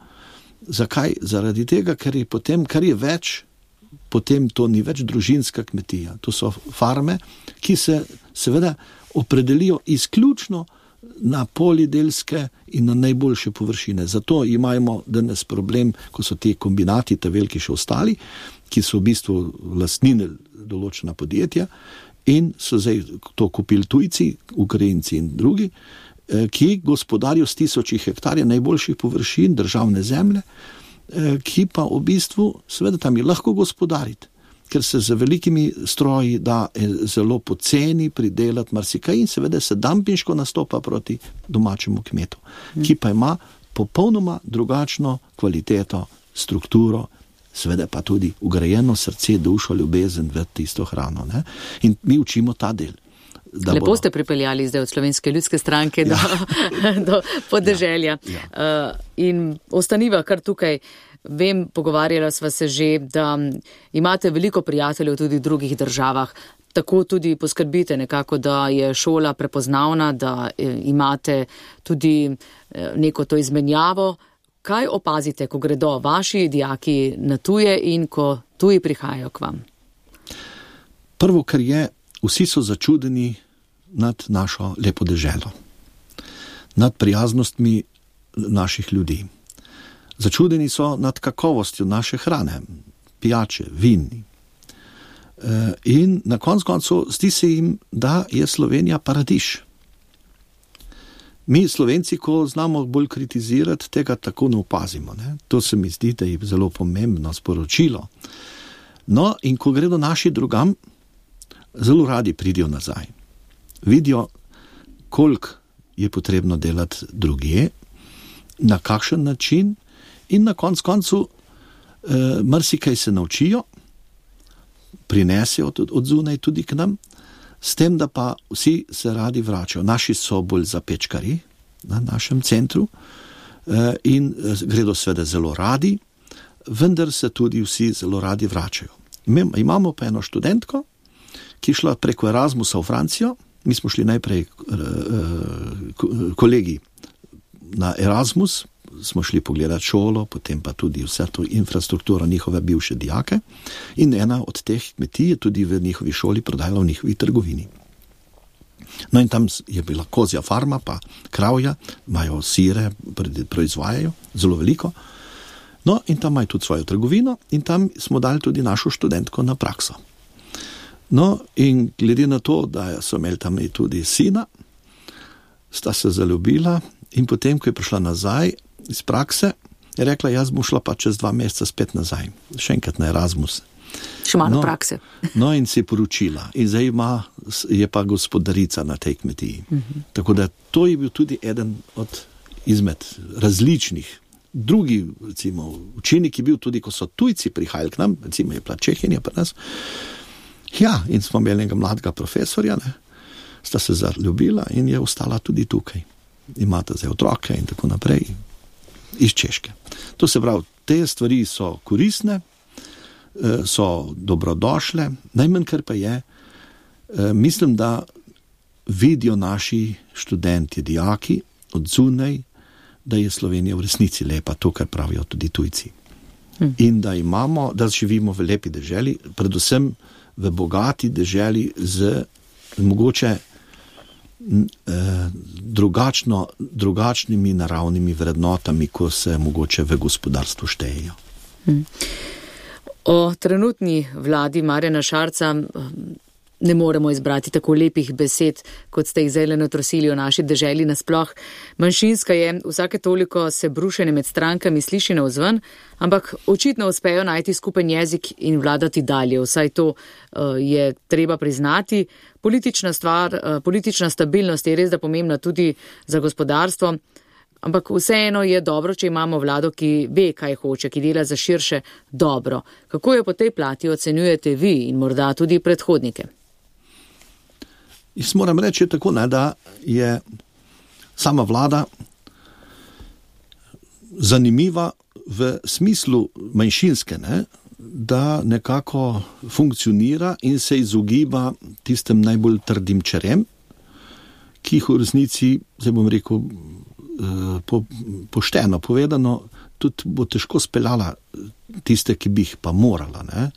S2: Zakaj? Zaradi tega, ker je potem, kar je več, potem to ni več družinska kmetija. To so farme, ki se seveda opredelijo izključno na polidelske in na najboljše površine. Zato imamo danes problem, ko so ti kombinati, ta veliki še ostali, ki so v bistvu lastnine določena podjetja in so zdaj to kupili tujci, Ukrajinci in drugi, ki gospodarijo s tisoči hektarje najboljših površin državne zemlje, ki pa v bistvu, seveda tam je lahko gospodariti, ker se z velikimi stroji da zelo poceni pridelati marsikaj in seveda se dampinško nastopa proti domačemu kmetu, ki pa ima popolnoma drugačno kvaliteto, strukturo, seveda pa tudi ugrajeno srce, dušo, ljubezen v tisto hrano. Ne? In mi učimo ta del.
S1: Lepo bodo... ste pripeljali zdaj od Slovenske ljudske stranke ja. do, do podeželja. Ja. Ja. Uh, in ostaniva kar tukaj. vem, pogovarjala sva se že, da imate veliko prijateljev tudi v drugih državah. Tako tudi poskrbite nekako, da je šola prepoznavna, da imate tudi neko to izmenjavo. Kaj opazite, ko gredo vaši dijaki na tuje in ko tuji prihajajo k vam?
S2: Prvo, kar je, vsi so začudeni nad našo lepo deželo, nad prijaznostmi naših ljudi. Začudeni so nad kakovostjo naše hrane, pijače, vin. In na koncu koncu zdi se jim, da je Slovenija paradiž. Mi Slovenci, ko znamo bolj kritizirati, tega tako ne opazimo. Ne? To se mi zdi, da je zelo pomembno sporočilo. No, in ko gredo naši drugam, zelo radi pridijo nazaj. Vidijo, koliko je potrebno delati drugje, na kakšen način in na koncu koncu eh, marsikaj se naučijo, prinesejo od, od zunaj tudi k nam, s tem, da pa vsi se radi vračajo. Naši so bolj zapečkari na našem centru eh, in gredo seveda zelo radi, vendar se tudi vsi zelo radi vračajo. Imamo pa eno študentko, ki je šla preko Erasmusa v Francijo. Mi smo šli najprej kolegi na Erasmus, smo šli pogledati šolo, potem pa tudi vse to infrastrukturo njihove bivše dijake in ena od teh kmetij je tudi v njihovi šoli prodajala v njihovi trgovini. No in tam je bila kozja farma, pa kravja, imajo sire, proizvajajo, zelo veliko. No in tam imajo tudi svojo trgovino in tam smo dali tudi našo študentko na prakso. No, in glede na to, da so imeli tam tudi sina, sta se zaljubila in potem, ko je prišla nazaj iz prakse, je rekla, jaz bom šla pa čez dva meseca spet nazaj, še enkrat na Erasmus.
S1: Še malo
S2: no,
S1: prakse.
S2: No, in si poročila. In zdaj ima, je pa gospodarica na tej kmetiji. Uh-huh. Tako da to je bil tudi eden od izmed različnih. Drugi, recimo, učinek je bil tudi, ko so tujci prihajali k nam, recimo je bila Čehinja pri nas. Ja, in smo imeli enega mladega profesorja, ne, sta se zaljubila in je ostala tudi tukaj. Imata zdaj otroke in tako naprej iz Češke. To se pravi, te stvari so koristne, so dobrodošle, najmanj kar pa je, mislim, da vidijo naši študenti, dijaki od zunaj, da je Slovenija v resnici lepa, to, kar pravijo tudi tujci. Hmm. In da imamo, da živimo v lepi deželi, predvsem v bogati deželi z mogoče eh, drugačno, drugačnimi naravnimi vrednotami, ko se mogoče v gospodarstvu štejejo.
S1: Hmm. O trenutni vladi Marjana Šarca ne moremo izbrati tako lepih besed, kot ste jih zdaj natrosili o naši deželi nasploh. Manjšinska je, vsake toliko se brušenje med strankami sliši navzven, ampak očitno uspejo najti skupen jezik in vladati dalje. Vsaj to uh, je treba priznati. Politična stvar, uh, politična stabilnost je res da pomembna tudi za gospodarstvo, ampak vseeno je dobro, če imamo vlado, ki ve, kaj hoče, ki dela za širše dobro. Kako jo po tej plati ocenjujete vi in morda tudi predhodnike?
S2: Jaz moram reči tako, ne, da je sama vlada zanimiva v smislu manjšinske, ne, da nekako funkcionira in se izogiba tistem najbolj trdim čerem, ki jih v resnici, zdaj bom rekel, po, pošteno povedano, tudi bo težko speljala tiste, ki bi jih pa morala, ne,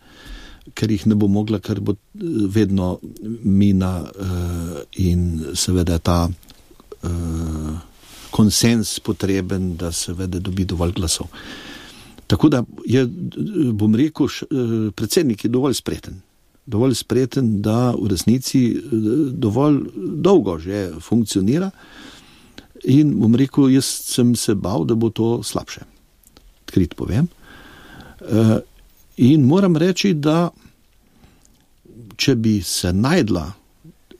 S2: ker jih ne bo mogla, ker bo vedno mina uh, in seveda ta uh, konsens potreben, da seveda dobi dovolj glasov. Tako da je, bom rekel, š, uh, predsednik je dovolj spreten. Dovolj spreten, da v resnici uh, dovolj dolgo že funkcionira in bom rekel, jaz sem se bal, da bo to slabše. Odkrit povem. Uh, In moram reči, da če bi se najdla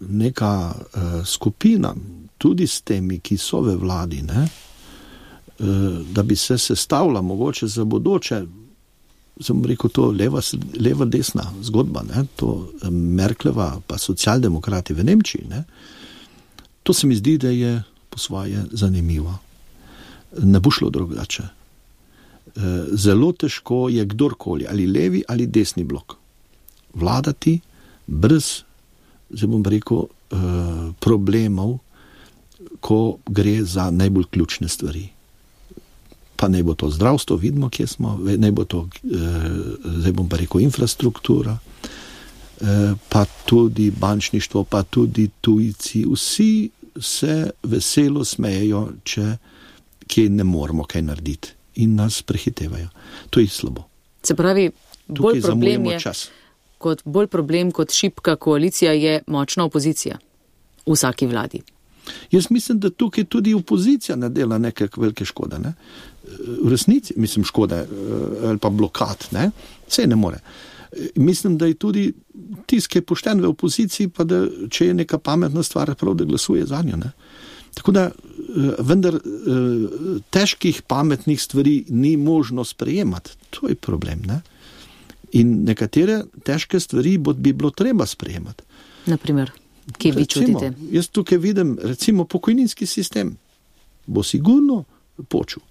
S2: neka uh, skupina, tudi s temi, ki so v vladi, ne, uh, da bi se sestavila mogoče za bodoče, sem rekel to leva, leva desna zgodba, ne, to Merkleva pa socialdemokrati v Nemčiji, ne, to se mi zdi, da je po svoje zanimivo. Ne bo šlo drugače. zelo težko je kdorkoli, ali levi ali desni blok, vladati brez, zdaj bom rekel, problemov, ko gre za najbolj ključne stvari. Pa naj bo to zdravstvo, vidimo, kje smo, naj bo to, zdaj bom pa rekel, infrastruktura, pa tudi bančništvo, pa tudi tujci, vsi se veselo smejejo, če kje ne moramo kaj narediti in nas prehitevajo. To je slabo.
S1: Se pravi, bolj problem je,
S2: čas.
S1: Kot, bolj problem kot šibka koalicija je močna opozicija v vsaki vladi.
S2: Jaz mislim, da tukaj tudi opozicija ne dela neke velike škode. Ne? V resnici, mislim, škode ali pa blokad, ne? Vse ne more. Mislim, da je tudi tisk je pošten v opoziciji, pa da če je neka pametna stvar, prav da glasuje za njo. Ne? Tako da, vendar težkih pametnih stvari ni možno sprejemati. To je problem. Ne? In nekatere težke stvari bi bilo treba sprejemati.
S1: Naprimer, kje vi čutite?
S2: Jaz tukaj vidim, recimo, pokojninski sistem bo sigurno počel.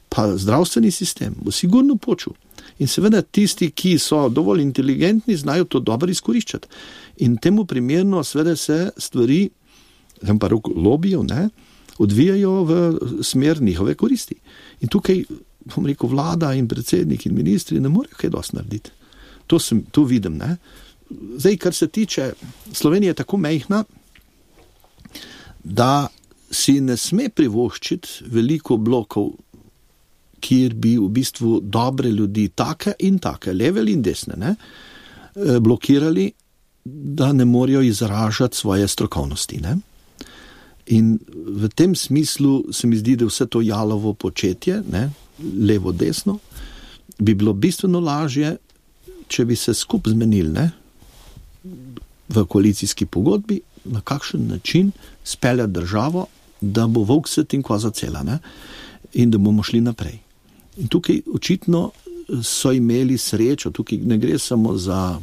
S2: Pa zdravstveni sistem bo sigurno počel. In seveda tisti, ki so dovolj inteligentni, znajo to dobro izkoriščati. In temu primerno seveda se stvari, znam pa roko lobijo, ne, odvijajo v smer njihove koristi. In tukaj, bom rekel, vlada in predsednik in ministri ne morejo kaj dosti narediti. To sem, to vidim, ne. Zdaj, kar se tiče, Slovenija je tako majhna, da si ne sme privoščiti veliko blokov, kjer bi v bistvu dobre ljudi, take in take, leve in desne, ne, blokirali, da ne morejo izražati svoje strokovnosti. Ne. In v tem smislu se mi zdi, da vse to jalovo početje, ne, levo, desno, bi bilo bistveno lažje, če bi se skup zmenili, ne, v koalicijski pogodbi, na kakšen način speljati državo, da bo volk set in koza cela, ne, in da bomo šli naprej. In tukaj očitno so imeli srečo, tukaj ne gre samo za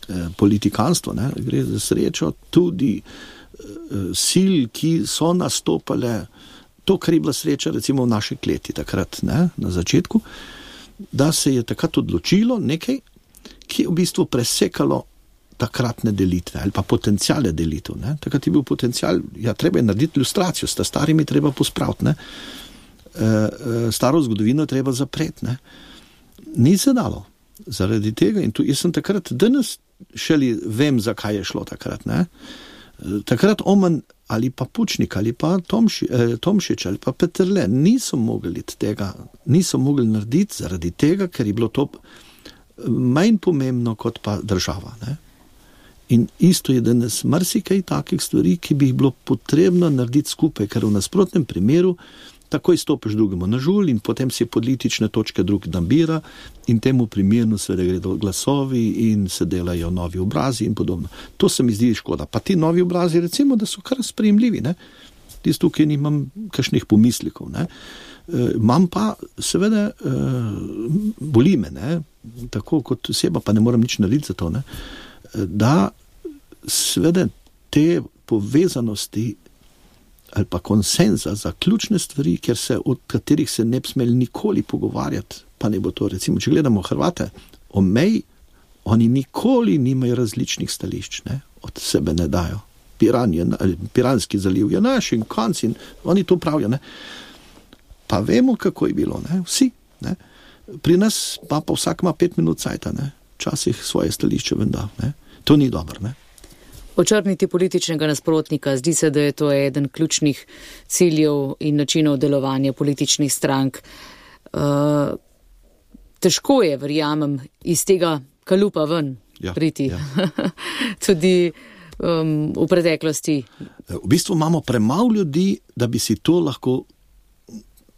S2: eh, politikanstvo, ne, gre za srečo tudi eh, sil, ki so nastopale, to, kar je bila sreča recimo v naši kleti takrat, ne, na začetku, da se je takrat odločilo nekaj, ki je v bistvu presekalo takratne delitve ali pa potencijale delitev. Ne. Takrat je bil potencijal, ja, treba je narediti ilustracijo, sta starimi treba pospraviti, ne. E, staro zgodovino treba zapreti. Ne. Ni se dalo zaradi tega in tu, jaz sem takrat, danes šele vem, zakaj je šlo takrat. Ne. E, takrat Oman ali pa Pučnik ali pa Tomši, eh, Tomšič ali pa Peterle niso mogli tega, niso mogli narediti zaradi tega, ker je bilo to manj pomembno kot pa država. Ne. In isto je danes marsikaj takih stvari, ki bi jih bilo potrebno narediti skupaj, ker v nasprotnem primeru takoj stopiš drugemu na žulj in potem si politične točke drug nabira in temu primerno seveda gredo glasovi in se delajo novi obrazi in podobno. To se mi zdi škoda. Pa ti novi obrazi recimo, da so kar sprejemljivi, ne. Tisto, tukaj nimam kakšnih pomislikov, ne. E, imam pa seveda e, boli me, ne, tako kot oseba, pa ne moram nič narediti za to, ne, da seveda te povezanosti ali pa konsenza za ključne stvari, ker se, od katerih se ne bi smeli nikoli pogovarjati, pa ne bo to, recimo, če gledamo Hrvate, o meji, oni nikoli nimajo različnih stališč, ne, od sebe ne dajo. Piran je, Piranski zaliv je naš in konc in oni to pravijo, ne. Pa vemo, kako je bilo, ne, vsi, ne. Pri nas pa, pa vsak ima pet minut cajta, ne, včasih svoje stališče venda, ne. To ni dobro, ne.
S1: Očrniti političnega nasprotnika, zdi se, da je to eden ključnih ciljev in načinov delovanja političnih strank. Uh, težko je, verjamem, iz tega kalupa ven ja, priti. Ja. Tudi um, v preteklosti.
S2: V bistvu imamo premalo ljudi, da bi si to lahko,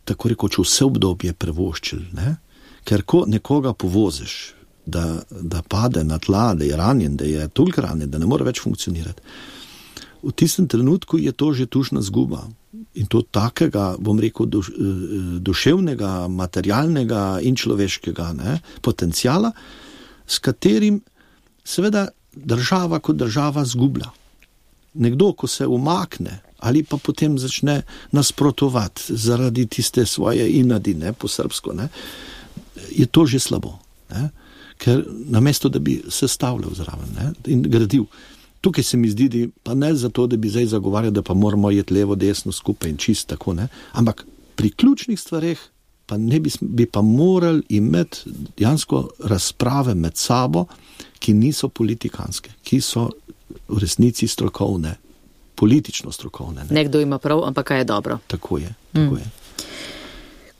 S2: tako rekoč, vse obdobje prevoščili, ne? Ker ko nekoga povoziš, Da, da pade na tla, da je ranjen, da je toliko ranjen, da ne more več funkcionirati. V tistem trenutku je to že tužna zguba. In to takega, bom rekel, duš, duševnega, materialnega in človeškega, ne, potencijala, s katerim seveda država kot država zgublja. Nekdo, ko se umakne ali pa potem začne nasprotovati zaradi tiste svoje inadi, ne, po srbsko, ne, je to že slabo. Ne. Ker namesto, da bi se stavljal zraven, ne, in gradil. Tukaj se mi zdi, da pa ne zato, da bi zdaj zagovarjal, da pa moramo jeti levo, desno skupaj in čist tako, ne, ampak pri ključnih stvareh pa ne bi, bi pa morali imeti dejansko razprave med sabo, ki niso politikanske, ki so v resnici strokovne, politično strokovne. Ne.
S1: Nekdo ima prav, ampak kaj je dobro.
S2: Tako je, tako mm. je.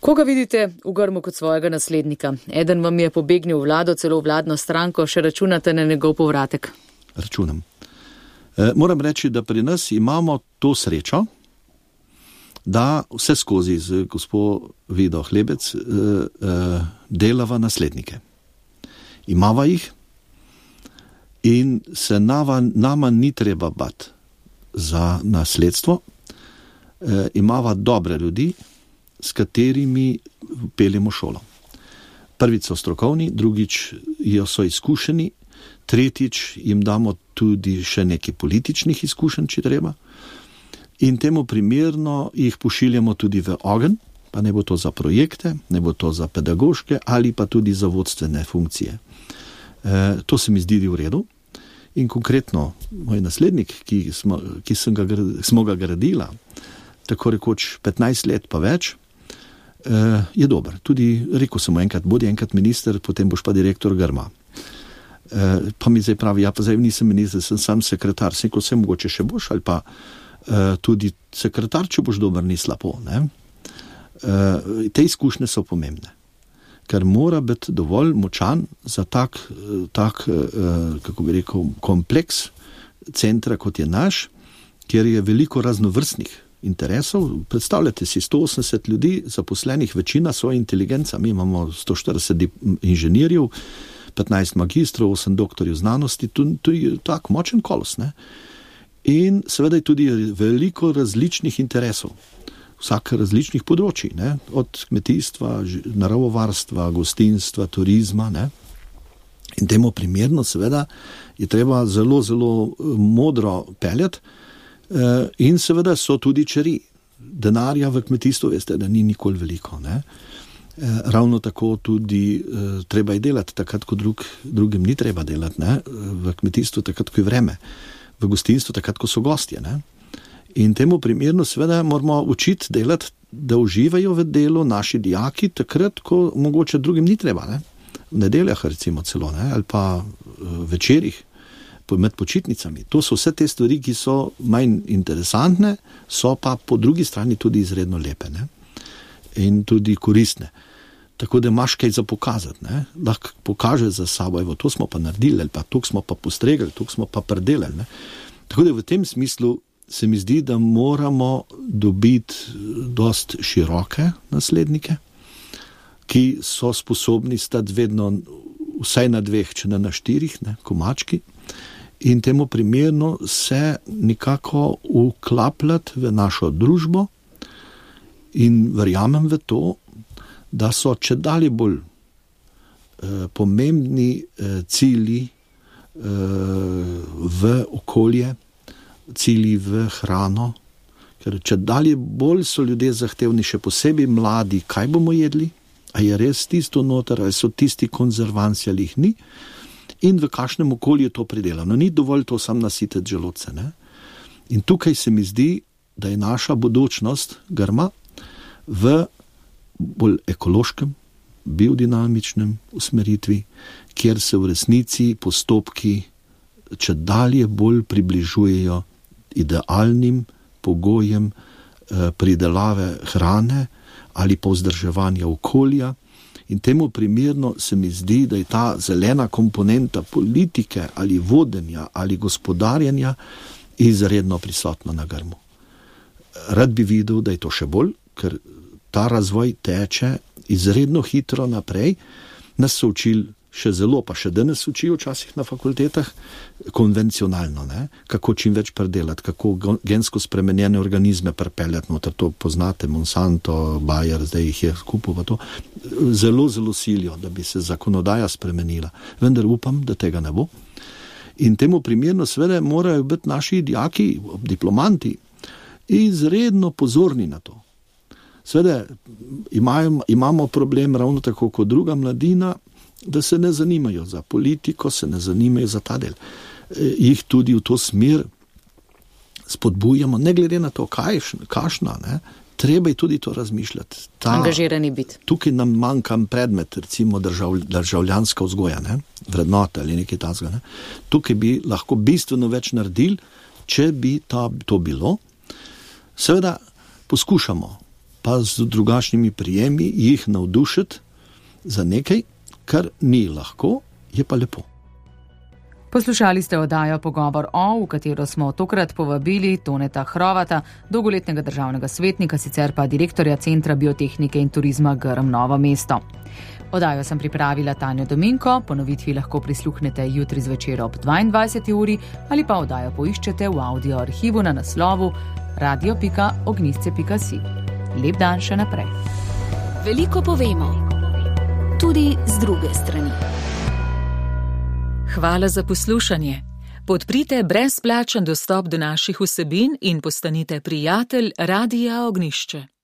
S1: Koga vidite v Grmu kot svojega naslednika? Eden vam je pobegnil v vlado, celo v vladno stranko, še računate na njegov povratek?
S2: Računam. E, moram reči, da pri nas imamo to srečo, da vse skozi z gospod Vido Hlebec e, e, delava naslednike. Imava jih in se nama, nama ni treba bati za nasledstvo. E, imava dobre ljudi, s katerimi peljemo šolo. Prvič so strokovni, drugič so izkušeni, tretjič jim damo tudi še nekaj političnih izkušenj, če treba. In temu primerno jih pošiljamo tudi v ogenj, pa ne bo to za projekte, ne bo to za pedagoške ali pa tudi za vodstvene funkcije. E, to se mi zdi v redu. In konkretno moj naslednik, ki smo, ki sem ga, smo ga gradila, tako rekoč petnajst let pa več, je dober. Tudi rekel sem mu enkrat, bodi enkrat minister, potem boš pa direktor Grma. E, pa mi zdaj pravi, ja pa zdaj nisem minister, sem sam sekretar, sem rekel, vse mogoče še boš, ali pa e, tudi sekretar, če boš dober, ni slabo. Ne? E, te izkušnje so pomembne, ker mora biti dovolj močan za tak, tak e, kako bi rekel, kompleks centra, kot je naš, kjer je veliko raznovrstnih interesov. Predstavljate si sto osemdeset ljudi, zaposlenih, večina so inteligenca, mi imamo sto štirideset inženirjev, petnajst magistrov, osem doktorjev znanosti, to, to je tak močen kolos. Ne? In seveda je tudi veliko različnih interesov, vsak različnih področji, ne? Od kmetijstva, naravovarstva, gostinstva, turizma. Ne? In temu primerno seveda je treba zelo, zelo modro peljati. In seveda so tudi čeri. Denarja v kmetijstvu, veste, da ni nikoli veliko. Ne? Ravno tako tudi treba je delati, takrat, ko drug, drugim ni treba delati. Ne? V kmetijstvu takrat, ko je vreme. V gostinstvu takrat, ko so gostje. Ne? In temu primerno seveda moramo učiti delati, da uživajo v delu naši dijaki, takrat, ko mogoče drugim ni treba. Ne? V nedeljah recimo celo, ne? Ali pa večerih. Med počitnicami. To so vse te stvari, ki so manj interesantne, so pa po drugi strani tudi izredno lepe, ne? In tudi koristne. Tako da imaš kaj za pokazati. Ne? Lahko pokaže za sabo, evo, to smo pa naredili, ali pa to smo pa postregli, to smo pa predelali. Ne? Tako da v tem smislu se mi zdi, da moramo dobiti dost široke naslednike, ki so sposobni stati vedno vsaj na dveh, če ne na štirih, ne, komački, in temu primerno se nekako vklapljati v našo družbo in verjamem v to, da so čedalje bolj eh, pomembni eh, cilji eh, v okolje, cilji v hrano, ker čedalje bolj so ljudje zahtevni, še posebej mladi, kaj bomo jedli, a je res tisto noter, ali so tisti konzervanci, ali jih ni, in v kakšnem okolju je to pridelano. Ni dovolj to sam nasititi želodce. Ne? In tukaj se mi zdi, da je naša budućnost Grma v bolj ekološkem, biodinamičnem usmeritvi, kjer se v resnici postopki čedalje bolj približujejo idealnim pogojem eh, pridelave hrane ali pa vzdrževanja okolja. In temu primerno se mi zdi, da je ta zelena komponenta politike ali vodenja ali gospodarjenja izredno prisotna na Grmu. Rad bi videl, da je to še bolj, ker ta razvoj teče izredno hitro naprej. Nas so učili še zelo, pa še danes učijo včasih na fakultetah, konvencionalno, ne? Kako čim več predelati, kako gensko spremenjene organizme prepeljati noter, to poznate, Monsanto, Bayer, zdaj jih je skupaj pa to. Zelo, zelo silijo, da bi se zakonodaja spremenila. Vendar upam, da tega ne bo. In temu primerno seveda morajo biti naši dijaki, diplomanti izredno pozorni na to. Seveda imamo, imamo problem ravno tako kot druga mladina, da se ne zanimajo za politiko, se ne zanimajo za ta del. Jih tudi v to smer spodbujamo, ne glede na to, kaj, kašna, ne, treba je tudi to razmišljati. Ta,
S1: angažirani biti.
S2: Tukaj nam manjka predmet, recimo držav, državljanska vzgoja, ne, vrednota ali nekaj takega. Ne. Tukaj bi lahko bistveno več naredili, če bi ta, to bilo. Seveda poskušamo pa z drugačnimi prijemi jih navdušiti za nekaj, kar ni lahko, je pa lepo.
S1: Poslušali ste oddajo Pogovor o, v katero smo tokrat povabili Toneta Hrovata, dolgoletnega državnega svetnika, sicer pa direktorja Centra biotehnike in turizma Grm Novo mesto. Oddajo sem pripravila Tanja Dominko, ponovitvi lahko prisluhnete jutri zvečer ob dvaindvajseti uri ali pa oddajo poiščete v audio arhivu na naslovu radio pika ognjišče pika si. Lep dan še naprej.
S3: Veliko povemo, tudi z druge strani.
S4: Hvala za poslušanje. Podprite brezplačen dostop do naših vsebin in postanite prijatelj Radia Ognjišče.